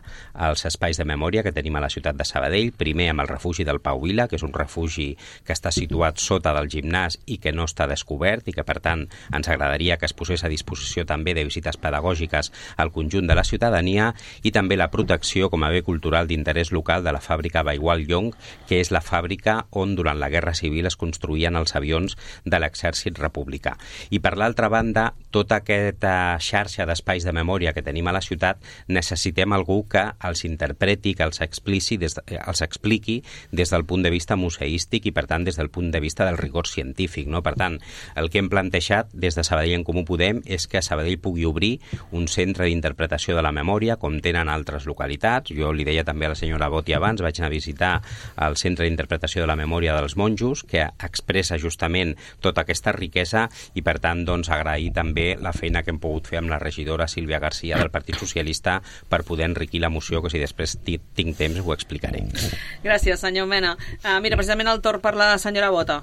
els espais de memòria que tenim a la ciutat de Sabadell, primer amb el refugi del Pau Vila, que és un refugi que està situat sota del gimnàs i que no està descobert i que, per tant, ens agradaria que es posés a disposició també de visites pedagògiques al conjunt de la ciutadania, i també la protecció com a bé cultural d'interès local de la fàbrica Baigual Llong, que és la fàbrica on durant la Guerra Civil es construïen els avions de l'exèrcit republicà. I per l'altra banda, tota aquesta xarxa d'espais de memòria que tenim a la ciutat, necessitem algú que els interpreti, que els expliqui des, de, els expliqui des del punt de vista museístic i, per tant, des del punt de vista del rigor científic. No? Per tant, el que hem plantejat des de Sabadell en Comú Podem és que Sabadell pugui obrir un centre d'interpretació de la memòria, com tenen altres localitats. Jo li deia també a la senyora Botti abans, vaig anar a visitar el Centre d'Interpretació de la Memòria dels Monjos, que expressa justament tota aquesta riquesa, i per tant doncs, agrair també la feina que hem pogut fer amb la regidora Sílvia García del Partit Socialista per poder enriquir la moció, que si després tinc temps ho explicaré.
Gràcies, senyor Mena. Uh, mira, precisament el torn per la senyora Bota.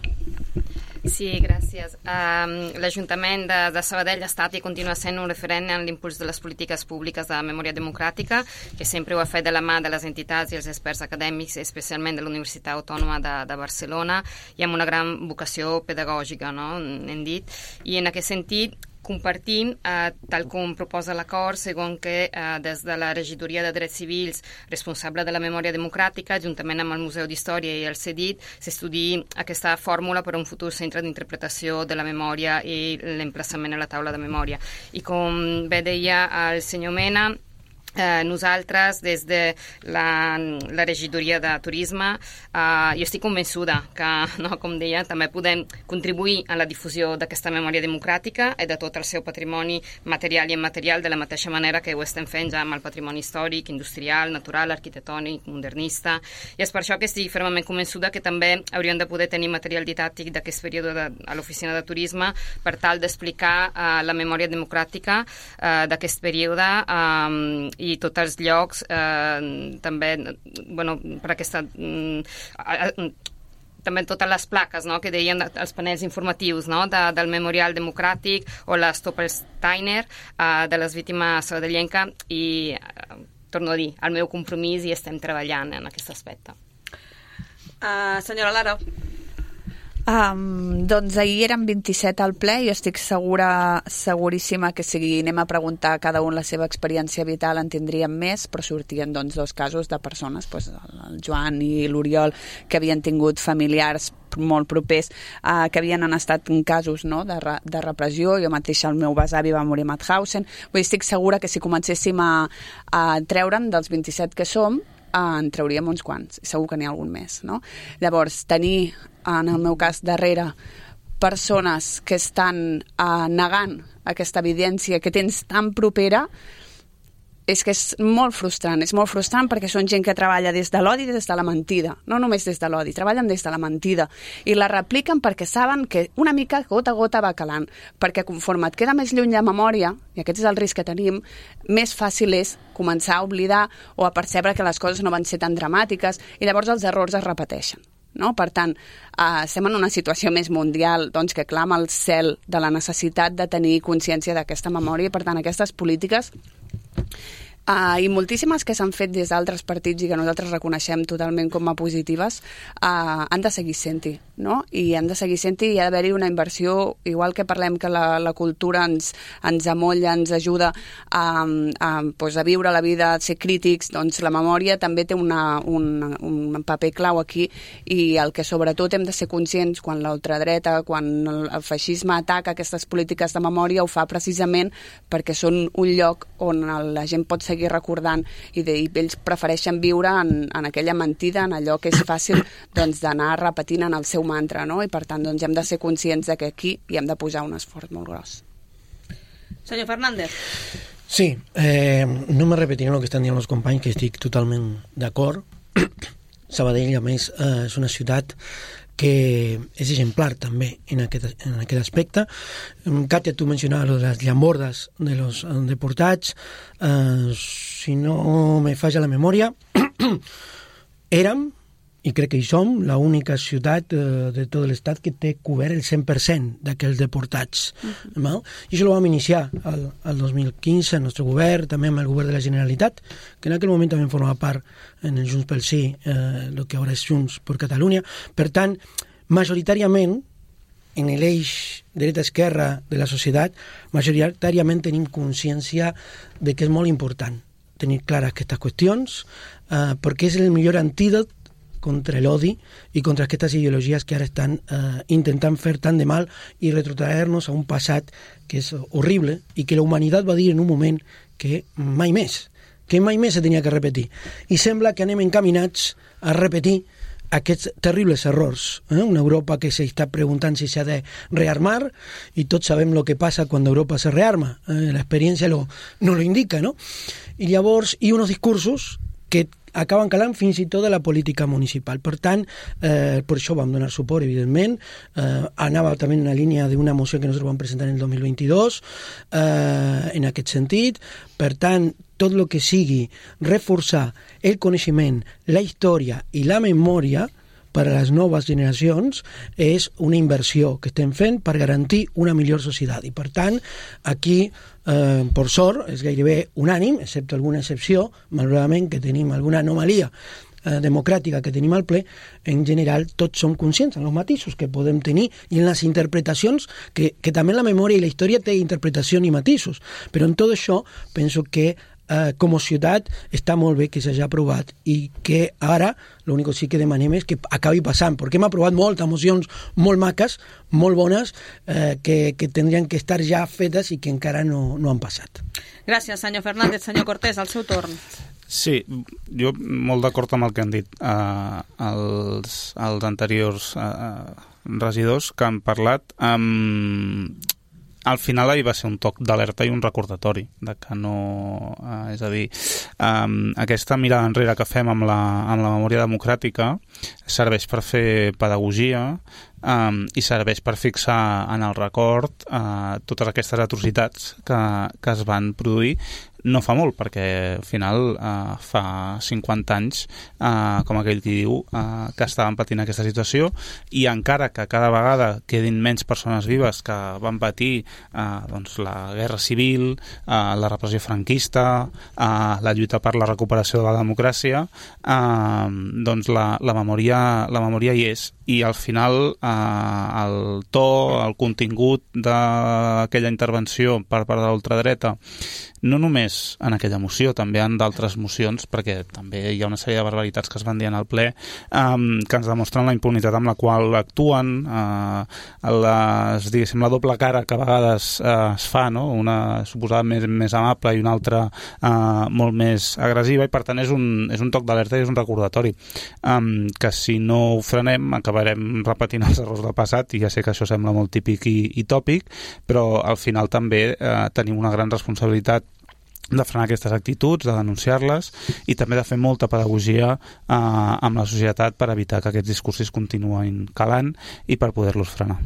Sí, gràcies. Um, L'Ajuntament de, de Sabadell ha estat i continua sent un referent en l'impuls de les polítiques públiques de memòria democràtica, que sempre ho ha fet de la mà de les entitats i els experts acadèmics, especialment de la Universitat Autònoma de, de Barcelona, i amb una gran vocació pedagògica, no? Hem dit. I en aquest sentit, compartim, eh, tal com proposa l'acord, segons que eh, des de la Regidoria de Drets Civils, responsable de la memòria democràtica, juntament amb el Museu d'Història i el CEDIT, s'estudiï aquesta fórmula per a un futur centre d'interpretació de la memòria i l'emplaçament a la taula de memòria. I com bé deia el senyor Mena, Eh, nosaltres, des de la, la regidoria de turisme, eh, jo estic convençuda que, no, com deia, també podem contribuir a la difusió d'aquesta memòria democràtica i de tot el seu patrimoni material i immaterial, de la mateixa manera que ho estem fent ja amb el patrimoni històric, industrial, natural, arquitectònic, modernista. I és per això que estic fermament convençuda que també hauríem de poder tenir material didàctic d'aquest període de, a l'oficina de turisme per tal d'explicar eh, la memòria democràtica eh, d'aquest període eh, i tots els llocs eh, també, bueno, per aquesta eh, també totes les plaques, no?, que deien els panels informatius, no?, de, del Memorial Democràtic o la Stoppelsteiner eh, de les víctimes sabadellenca, i eh, torno a dir, el meu compromís, i estem treballant en aquest aspecte.
Uh, senyora Lara.
Um, doncs ahir eren vint-i-set al ple, i jo estic segura, seguríssima que si anem a preguntar a cada un la seva experiència vital en tindríem més, però sortien doncs dos casos de persones, doncs, el Joan i l'Oriol, que havien tingut familiars molt propers, uh, que havien estat en casos, no?, de, re, de repressió. Jo mateixa, el meu besavi va morir a Mauthausen. Vull dir, estic segura que si comencéssim a, a treure'n dels vint-i-set que som, en trauríem uns quants, i segur que n'hi ha algun més, no? Llavors, tenir, en el meu cas, darrere persones que estan uh, negant aquesta evidència que tens tan propera, és que és molt frustrant, és molt frustrant perquè són gent que treballa des de l'odi i des de la mentida, no només des de l'odi, treballen des de la mentida, i la repliquen perquè saben que una mica gota a gota va calant, perquè conforme et queda més lluny la memòria, i aquest és el risc que tenim, més fàcil és començar a oblidar o a percebre que les coses no van ser tan dramàtiques, i llavors els errors es repeteixen. No? Per tant, eh, estem en una situació més mundial, doncs, que clama al cel de la necessitat de tenir consciència d'aquesta memòria, i per tant aquestes polítiques Uh, i moltíssimes que s'han fet des d'altres partits i que nosaltres reconeixem totalment com a positives, uh, han de seguir sent-hi, no? I han de seguir sent-hi, i ha d'haver-hi una inversió, igual que parlem que la, la cultura ens, ens amolla, ens ajuda a, a, pues, a viure la vida, a ser crítics, doncs la memòria també té una, un, un paper clau aquí, i el que sobretot hem de ser conscients quan l'ultradreta, quan el, el feixisme ataca aquestes polítiques de memòria, ho fa precisament perquè són un lloc on la gent pot seguir seguir recordant, i, de, i ells prefereixen viure en, en aquella mentida, en allò que és fàcil doncs, d'anar repetint en el seu mantra, no? I per tant doncs, hem de ser conscients de que aquí hi hem de posar un esforç molt gros.
Senyor Fernández.
Sí, eh, no me repetiré el que estan dient els companys, que estic totalment d'acord. Sabadell, a més, eh, és una ciutat que és exemplar també en aquest, en aquest aspecte. Katia, tu mencionaves les llambordes de los deportats. Eh, si no me falla la memòria, érem, i crec que hi som, l'única ciutat eh, de tot l'estat que té cobert el cent per cent d'aquells deportats. Uh-huh. No? I això ho vam iniciar el, el dos mil quinze, el nostre govern, també amb el govern de la Generalitat, que en aquell moment també formava part en el Junts pel Sí, eh, el que ara és Junts per Catalunya. Per tant, majoritàriament, en l'eix dreta-esquerra de la societat, majoritàriament tenim consciència de que és molt important tenir clares aquestes qüestions, eh, perquè és el millor antídot contra l'odi i contra aquestes ideologies que ara estan eh, intentant fer tant de mal i retrotraer-nos a un passat que és horrible i que la humanitat va dir en un moment que mai més, que mai més se tenia que repetir. I sembla que anem encaminats a repetir aquests terribles errors. Eh? Una Europa que s'està preguntant si s'ha de rearmar, i tots sabem el que passa quan Europa se rearma. Eh? L'experiència lo, no lo indica, no? I llavors, i uns discursos que acaben calant fins i tot de la política municipal. Per tant, eh, per això vam donar suport, evidentment. Eh, anava també en una línia d'una moció que nosaltres vam presentar en el dos mil vint-i-dos, eh, en aquest sentit. Per tant, tot el que sigui reforçar el coneixement, la història i la memòria, per a les noves generacions és una inversió que estem fent per garantir una millor societat. I, per tant, aquí, eh, per sort, és gairebé unànim, excepte alguna excepció, malauradament, que tenim alguna anomalia eh, democràtica que tenim al ple, en general tots som conscients en els matisos que podem tenir i en les interpretacions, que, que també la memòria i la història té interpretació i matisos. Però en tot això penso que Eh, com a ciutat està molt bé que s'hagi aprovat i que ara l'únic que sí que demanem és que acabi passant, perquè hem aprovat moltes mocions molt maques, molt bones, eh, que, que tindrien que estar ja fetes i que encara no, no han passat.
Gràcies, senyor Fernández. Senyor Cortés, al seu torn.
Sí, jo molt d'acord amb el que han dit eh, els, els anteriors eh, regidors que han parlat. Um, Al final ahir va ser un toc d'alerta i un recordatori de que no... Eh, és a dir, eh, aquesta mirada enrere que fem amb la, amb la memòria democràtica serveix per fer pedagogia eh, i serveix per fixar en el record eh, totes aquestes atrocitats que, que es van produir no fa molt, perquè al final eh, fa cinquanta anys, eh, com aquell qui diu, eh, que estaven patint aquesta situació, i encara que cada vegada quedin menys persones vives que van patir eh, doncs, la guerra civil, eh, la repressió franquista, eh, la lluita per la recuperació de la democràcia, eh, doncs la, la, memòria, la memòria hi és. I al final eh, el to, el contingut d'aquella intervenció per part de l'ultradreta, no només en aquella moció, també en d'altres mocions, perquè també hi ha una sèrie de barbaritats que es van dir en el ple, eh, que ens demostren la impunitat amb la qual actuen, eh, les, diguéssim, la doble cara que a vegades eh, es fa, no? Una suposada més, més amable i una altra eh, molt més agressiva, i per tant és un, és un toc d'alerta i és un recordatori, eh, que si no ho frenem acabarem repetint els errors del passat, i ja sé que això sembla molt típic i, i tòpic, però al final també eh, tenim una gran responsabilitat de frenar aquestes actituds, de denunciar-les i també de fer molta pedagogia eh, amb la societat per evitar que aquests discursos continuïn calant i per poder-los frenar.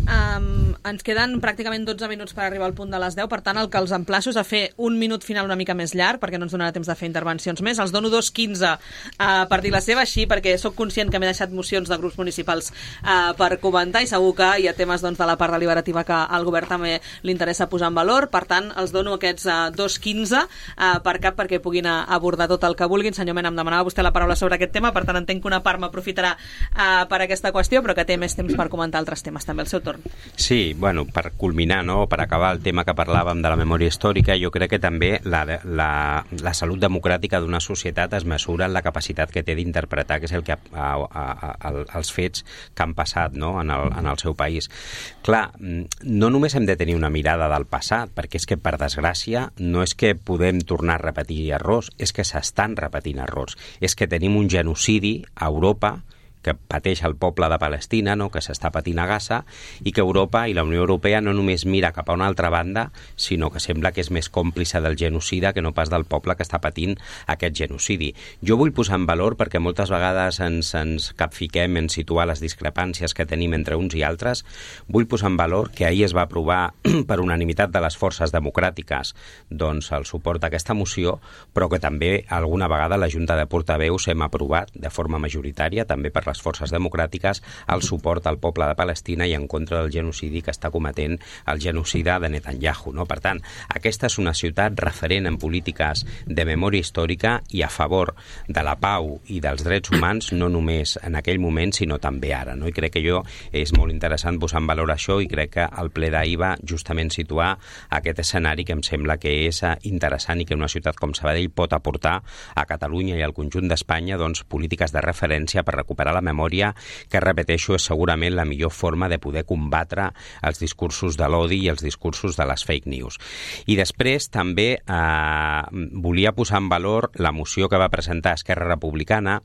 Um, ens queden pràcticament dotze minuts per arribar al punt de les deu, per tant el que els emplaço és a fer un minut final una mica més llarg, perquè no ens donarà temps de fer intervencions més. Els dono dos quinze uh, per dir la seva, així, perquè sóc conscient que m'he deixat mocions de grups municipals uh, per comentar, i segur que hi ha temes doncs, de la part deliberativa que al govern també li interessa posar en valor. Per tant, els dono aquests uh, dos quinze uh, per cap perquè puguin uh, abordar tot el que vulguin. Senyor Mena, em demanava vostè la paraula sobre aquest tema, per tant entenc que una part m'aprofitarà uh, per aquesta qüestió, però que té més temps per comentar altres temes també. El seu torn.
Sí, bueno, per culminar, no? Per acabar el tema que parlàvem de la memòria històrica, jo crec que també la, la, la salut democràtica d'una societat es mesura en la capacitat que té d'interpretar què és el que, a, a, a, els fets que han passat, no? en, el, en el seu país. Clar, no només hem de tenir una mirada del passat, perquè és que, per desgràcia, no és que podem tornar a repetir errors, és que s'estan repetint errors. És que tenim un genocidi a Europa que pateix el poble de Palestina, no? Que s'està patint a Gaza, i que Europa i la Unió Europea no només mira cap a una altra banda, sinó que sembla que és més còmplice del genocida que no pas del poble que està patint aquest genocidi. Jo vull posar en valor, perquè moltes vegades ens, ens capfiquem en situar les discrepàncies que tenim entre uns i altres, vull posar en valor que ahir es va aprovar per unanimitat de les forces democràtiques doncs, el suport a aquesta moció, però que també alguna vegada la Junta de Portaveus hem aprovat de forma majoritària, també per les forces democràtiques, el suport al poble de Palestina i en contra del genocidi que està cometent el genocida de Netanyahu. No? Per tant, aquesta és una ciutat referent en polítiques de memòria històrica i a favor de la pau i dels drets humans, no només en aquell moment, sinó també ara. No? I crec que jo és molt interessant posar en valor això, i crec que el ple d'ahir va justament situar aquest escenari que em sembla que és interessant i que una ciutat com Sabadell pot aportar a Catalunya i al conjunt d'Espanya doncs, polítiques de referència per recuperar la memòria, que, repeteixo, és segurament la millor forma de poder combatre els discursos de l'odi i els discursos de les fake news. I després també eh, volia posar en valor la moció que va presentar Esquerra Republicana,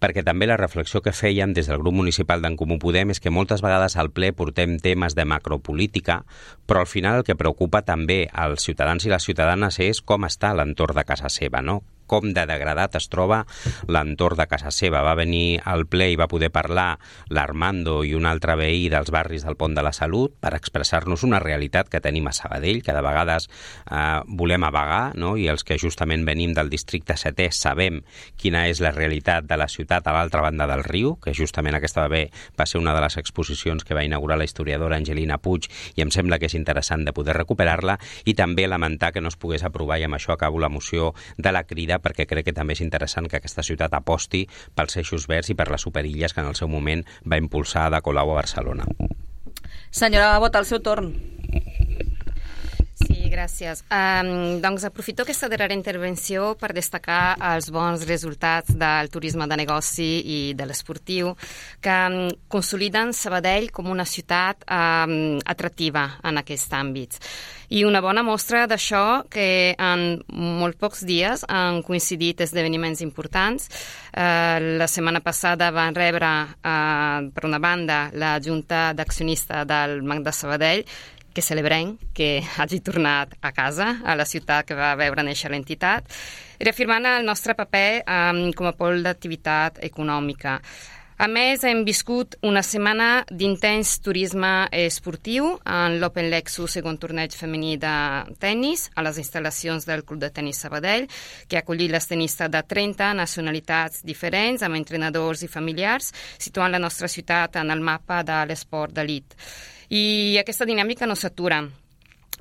perquè també la reflexió que feien des del grup municipal d'en Comú Podem és que moltes vegades al ple portem temes de macropolítica, però al final el que preocupa també als ciutadans i les ciutadanes és com està l'entorn de casa seva, no? com de degradat es troba l'entorn de casa seva. Va venir al ple i va poder parlar l'Armando i un altre veí dels barris del Pont de la Salut per expressar-nos una realitat que tenim a Sabadell, que de vegades eh, volem avagar, no? I els que justament venim del districte setè sabem quina és la realitat de la ciutat a l'altra banda del riu, que justament aquesta va, bé, va ser una de les exposicions que va inaugurar la historiadora Angelina Puig i em sembla que és interessant de poder recuperar-la, i també lamentar que no es pogués aprovar, i amb això acabo la moció de la Crida, perquè crec que també és interessant que aquesta ciutat aposti pels eixos verds i per les superilles que en el seu moment va impulsar Ada Colau a Barcelona.
Senyora Bota, el seu torn.
Sí, gràcies. Um, doncs aprofito aquesta darrera intervenció per destacar els bons resultats del turisme de negoci i de l'esportiu, que um, consoliden Sabadell com una ciutat um, atractiva en aquests àmbits. I una bona mostra d'això que en molt pocs dies han coincidit esdeveniments importants. Uh, la setmana passada van rebre, uh, per una banda, la Junta d'Accionista del Banc de Sabadell, que celebrem que hagi tornat a casa, a la ciutat que va veure néixer l'entitat, reafirmant el nostre paper um, com a pol d'activitat econòmica. A més, hem viscut una setmana d'intens turisme esportiu en l'Open Lexus, segon torneig femení de tennis, a les instal·lacions del Club de Tenis Sabadell, que ha acollit les tenistes de trenta nacionalitats diferents, amb entrenadors i familiars, situant la nostra ciutat en el mapa de l'esport d'elit. I aquesta dinàmica no s'atura.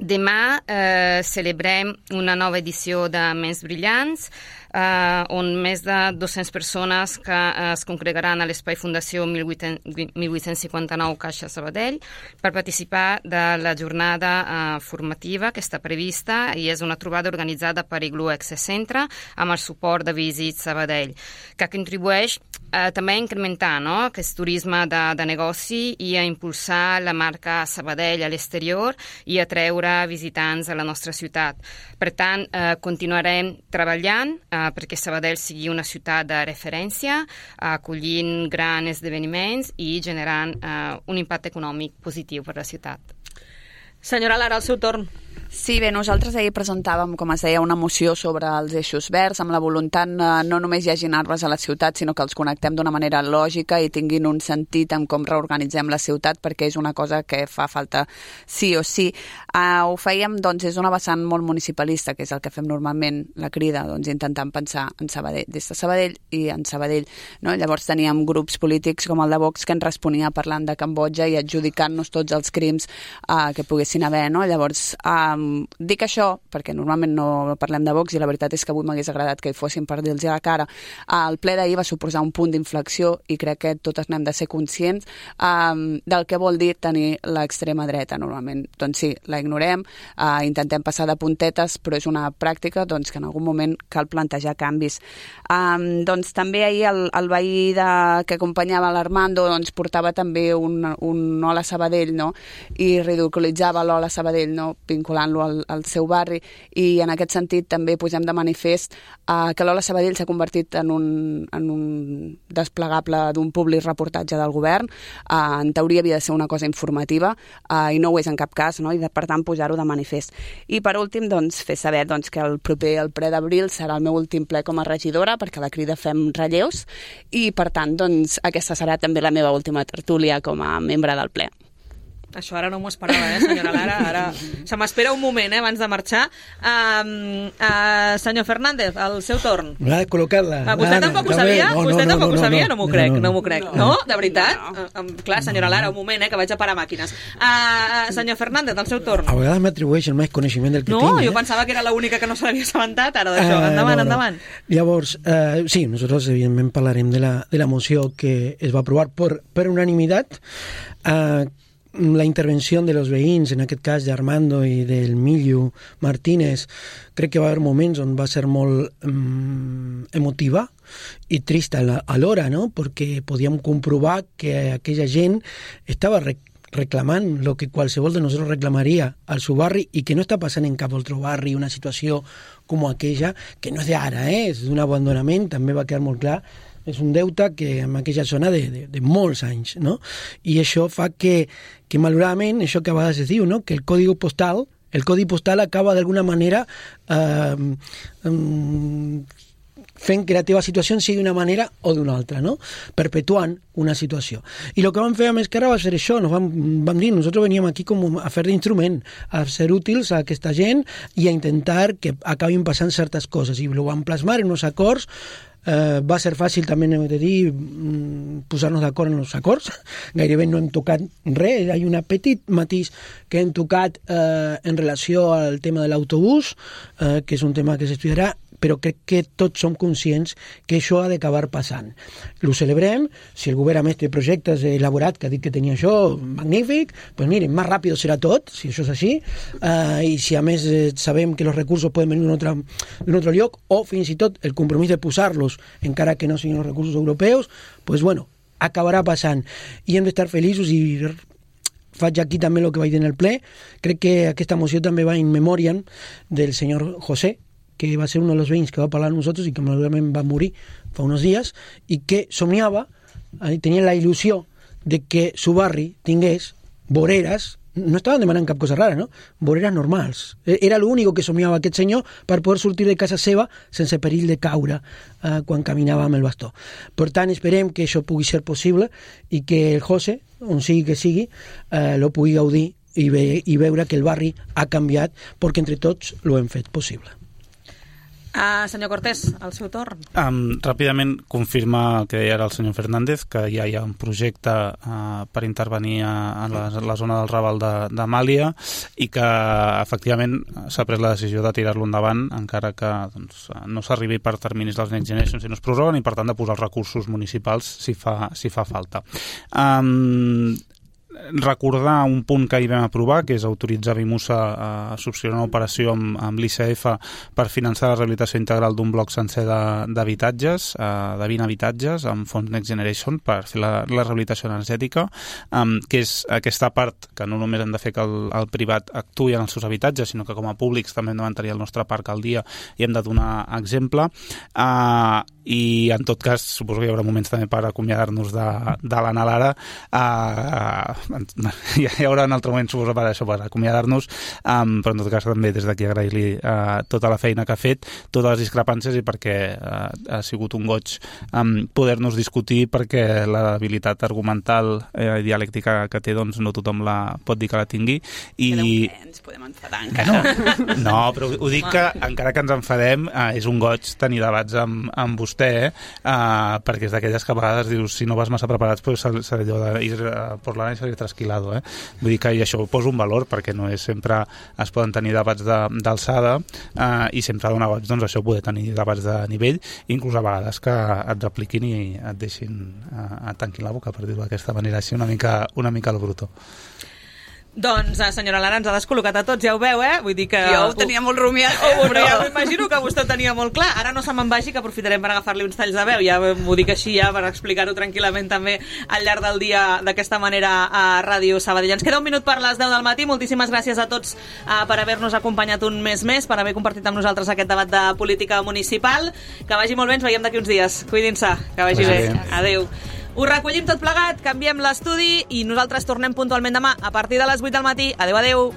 Demà eh, celebrem una nova edició de Ments Brillants, eh, on més de dues-centes persones que eh, es congregaran a l'Espai Fundació mil vuit-cents cinquanta-nou Caixa Sabadell per participar de la jornada eh, formativa que està prevista, i és una trobada organitzada per Igloo Access Centre amb el suport de Visit Sabadell, que contribueix eh, també a incrementar, no?, aquest turisme de, de negoci i a impulsar la marca Sabadell a l'exterior i a treure visitants a la nostra ciutat. Per tant, eh, continuarem treballant eh, perquè Sabadell sigui una ciutat de referència, acollint grans esdeveniments i generant eh, un impacte econòmic positiu per la ciutat.
Senyora Lara, el seu torn.
Sí, bé, nosaltres ahir presentàvem, com es deia, una moció sobre els eixos verds, amb la voluntat no només imaginar-los a la ciutat, sinó que els connectem d'una manera lògica i tinguin un sentit en com reorganitzem la ciutat, perquè és una cosa que fa falta sí o sí. Uh, ho fèiem, doncs, és una vessant molt municipalista, que és el que fem normalment, la Crida, doncs, intentant pensar en Sabadell, des de Sabadell i en Sabadell, no? Llavors teníem grups polítics com el de Vox que ens responia parlant de Cambodja i adjudicant-nos tots els crims uh, que poguessin haver, no? Llavors, um, dic això perquè normalment no parlem de Vox i la veritat és que avui m'hagués agradat que hi fossin per dir-los a la cara. El ple d'ahir va suposar un punt d'inflexió i crec que totes n'hem de ser conscients um, del que vol dir tenir l'extrema dreta normalment. Doncs sí, la ignorem, uh, intentem passar de puntetes, però és una pràctica doncs, que en algun moment cal plantejar canvis. Um, doncs també ahir el, el veí de, que acompanyava l'Armando doncs, portava també un, un Hola Sabadell, no? I ridiculitzava l'Hola Sabadell, no? Vinculant Al, al seu barri, i en aquest sentit també posem de manifest uh, que l'Hola Sabadell s'ha convertit en un, en un desplegable d'un públic reportatge del govern. Uh, en teoria havia de ser una cosa informativa uh, i no ho és en cap cas, no? I de, per tant posar-ho de manifest. I per últim doncs, fer saber doncs, que el proper el ple d'abril serà el meu últim ple com a regidora, perquè a la Crida fem relleus, i per tant doncs, aquesta serà també la meva última tertúlia com a membre del ple.
Això ara no m'ho esperava, eh, senyora Lara. Ara se m'espera un moment, eh, abans de marxar. Um, uh, senyor Fernández, el seu torn.
M'ha de col·locar-la.
Uh, vostè tampoc ho sabia? No, no, vostè tampoc no, no, ho sabia? No m'ho crec, no, no. no m'ho crec. No. no? De veritat? No. Uh, um, clar, senyora Lara, un moment, eh, que vaig a parar màquines. Uh, senyor Fernández, el seu torn.
A vegades m'atribueixen més coneixement del que
no,
tinc.
No, jo
eh?
pensava que era l'única que no se l'havia assabentat ara d'això. Uh, endavant, no, no. endavant.
Llavors, uh, sí, nosotros evidentment parlarem de la, de la moció que es va aprovar per, per unanimitat. Uh, la intervención de los veïns, en aquest cas d'Armando i del Millo Martínez, crec que va haver moments on va ser molt um, emotiva i trista alhora, no? Perquè podíem comprovar que aquella gent estava rec reclamant el que qualsevol de nosaltres reclamaria al seu barri i que no està passant en cap altre barri una situació com aquella, que no és d'ara, eh? És d'un abandonament, també va quedar molt clar. És un deute que en aquella zona de, de, de molts anys, no? I això fa que, que malauradament, això que a vegades es diu, no? Que el codi postal, el codi postal acaba d'alguna manera eh, um, fent que la teva situació sigui d'una manera o d'una altra, no? Perpetuant una situació. I el que vam fer amb Esquerra va ser això, nos vam, vam dir, nosaltres veníem aquí com a fer d'instrument, a ser útils a aquesta gent i a intentar que acabin passant certes coses, i ho vam plasmar en uns acords. Uh, va ser fàcil també, hem de dir, posar-nos d'acord en els acords. Gairebé no hem tocat res. Hi ha un petit matís que hem tocat uh, en relació al tema de l'autobús, uh, que és un tema que s'estudiarà, però crec que tots som conscients que això ha d'acabar passant. Ho celebrem. Si el govern a més té projectes elaborat que ha dit que tenia això, magnífic, doncs miren, més ràpid serà tot, si això és així, uh, i si a més eh, sabem que els recursos poden venir d'un altre, d'un altre lloc, o fins i tot el compromís de posar-los, encara que no siguin els recursos europeus, doncs bueno, acabarà passant. I hem d'estar feliços i faig aquí també el que vaig dir en el ple. Crec que aquesta moció també va in memoriam del senyor José, que va ser un dels veïns que va parlar amb nosaltres i que malauradament va morir fa uns dies, i que somiava, tenia la il·lusió de que su barri tingués voreres, no estaven demanant cap cosa rara, no? Voreres normals. Era l'únic que somiava aquest senyor per poder sortir de casa seva sense perill de caure eh, quan caminava amb el bastó. Per tant, esperem que això pugui ser possible i que el José, on sigui que sigui, eh, lo pugui gaudir i, ve, i veure que el barri ha canviat perquè entre tots lo hem fet possible.
Uh, senyor Cortés, al seu torn.
Um, ràpidament confirma el que deia ara el senyor Fernández, que ja hi ha un projecte uh, per intervenir a, a, la, a la zona del Raval de, de Màlia, i que efectivament s'ha pres la decisió de tirar-lo endavant, encara que doncs, no s'arribi per terminis dels Next Generation si no es prorroguen, i per tant de posar els recursos municipals si fa, si fa falta. Um, recordar un punt que ahir vam aprovar, que és autoritzar Vimusa a subscriure una operació amb, amb l'I C F per finançar la rehabilitació integral d'un bloc sencer d'habitatges, de vint habitatges, amb fons Next Generation per fer la, la rehabilitació energètica, um, que és aquesta part que no només hem de fer que el, el privat actuï en els seus habitatges, sinó que com a públics també hem de mantenir el nostre parc al dia i hem de donar exemple. Uh, i en tot cas suposo que hi haurà moments també per acomiadar-nos de, de l'Anna Lara. Uh, hi haurà un altre moment suposo per això, per acomiadar-nos, um, però en tot cas també des d'aquí agrair-li uh, tota la feina que ha fet, totes les discrepàncies, i perquè uh, ha sigut un goig um, poder-nos discutir, perquè l'habilitat argumental i eh, dialèctica que té doncs no tothom la pot dir que la tingui. I
ens podem enfadar encara.
No, no, però ho dic que encara que ens enfadem uh, és un goig tenir debats amb, amb vostè, eh? uh, perquè és d'aquelles que a vegades dius, si no vas massa preparats pues serà allò d'ir uh, por la nena i salir trasquilado, eh? Vull dir que i això ho poso un valor, perquè no és sempre es poden tenir debats d'alçada, uh, i sempre dona goig doncs això, poder tenir debats de nivell, inclús a vegades que et repliquin i et deixin uh, et tanquin la boca, per dir-ho d'aquesta manera així una mica, una mica al bruto.
Doncs, senyora Lara, ens ha descol·locat a tots, ja ho veu, eh? Vull dir que...
Jo ho tenia molt rumiat,
eh? Però ja m'imagino que vostè ho tenia molt clar. Ara no se me'n vagi, que aprofitarem per agafar-li uns talls de veu. Ja m'ho dic així, ja, per explicar-ho tranquil·lament també al llarg del dia d'aquesta manera a Ràdio Sabadell. Ens queda un minut per les deu del matí. Moltíssimes gràcies a tots uh, per haver-nos acompanyat un mes més, per haver compartit amb nosaltres aquest debat de política municipal. Que vagi molt bé, ens veiem d'aquí uns dies. Cuidin-se, que vagi bé. Adéu. Ho recollim tot plegat, canviem l'estudi i nosaltres tornem puntualment demà a partir de les vuit del matí. Adéu, adéu.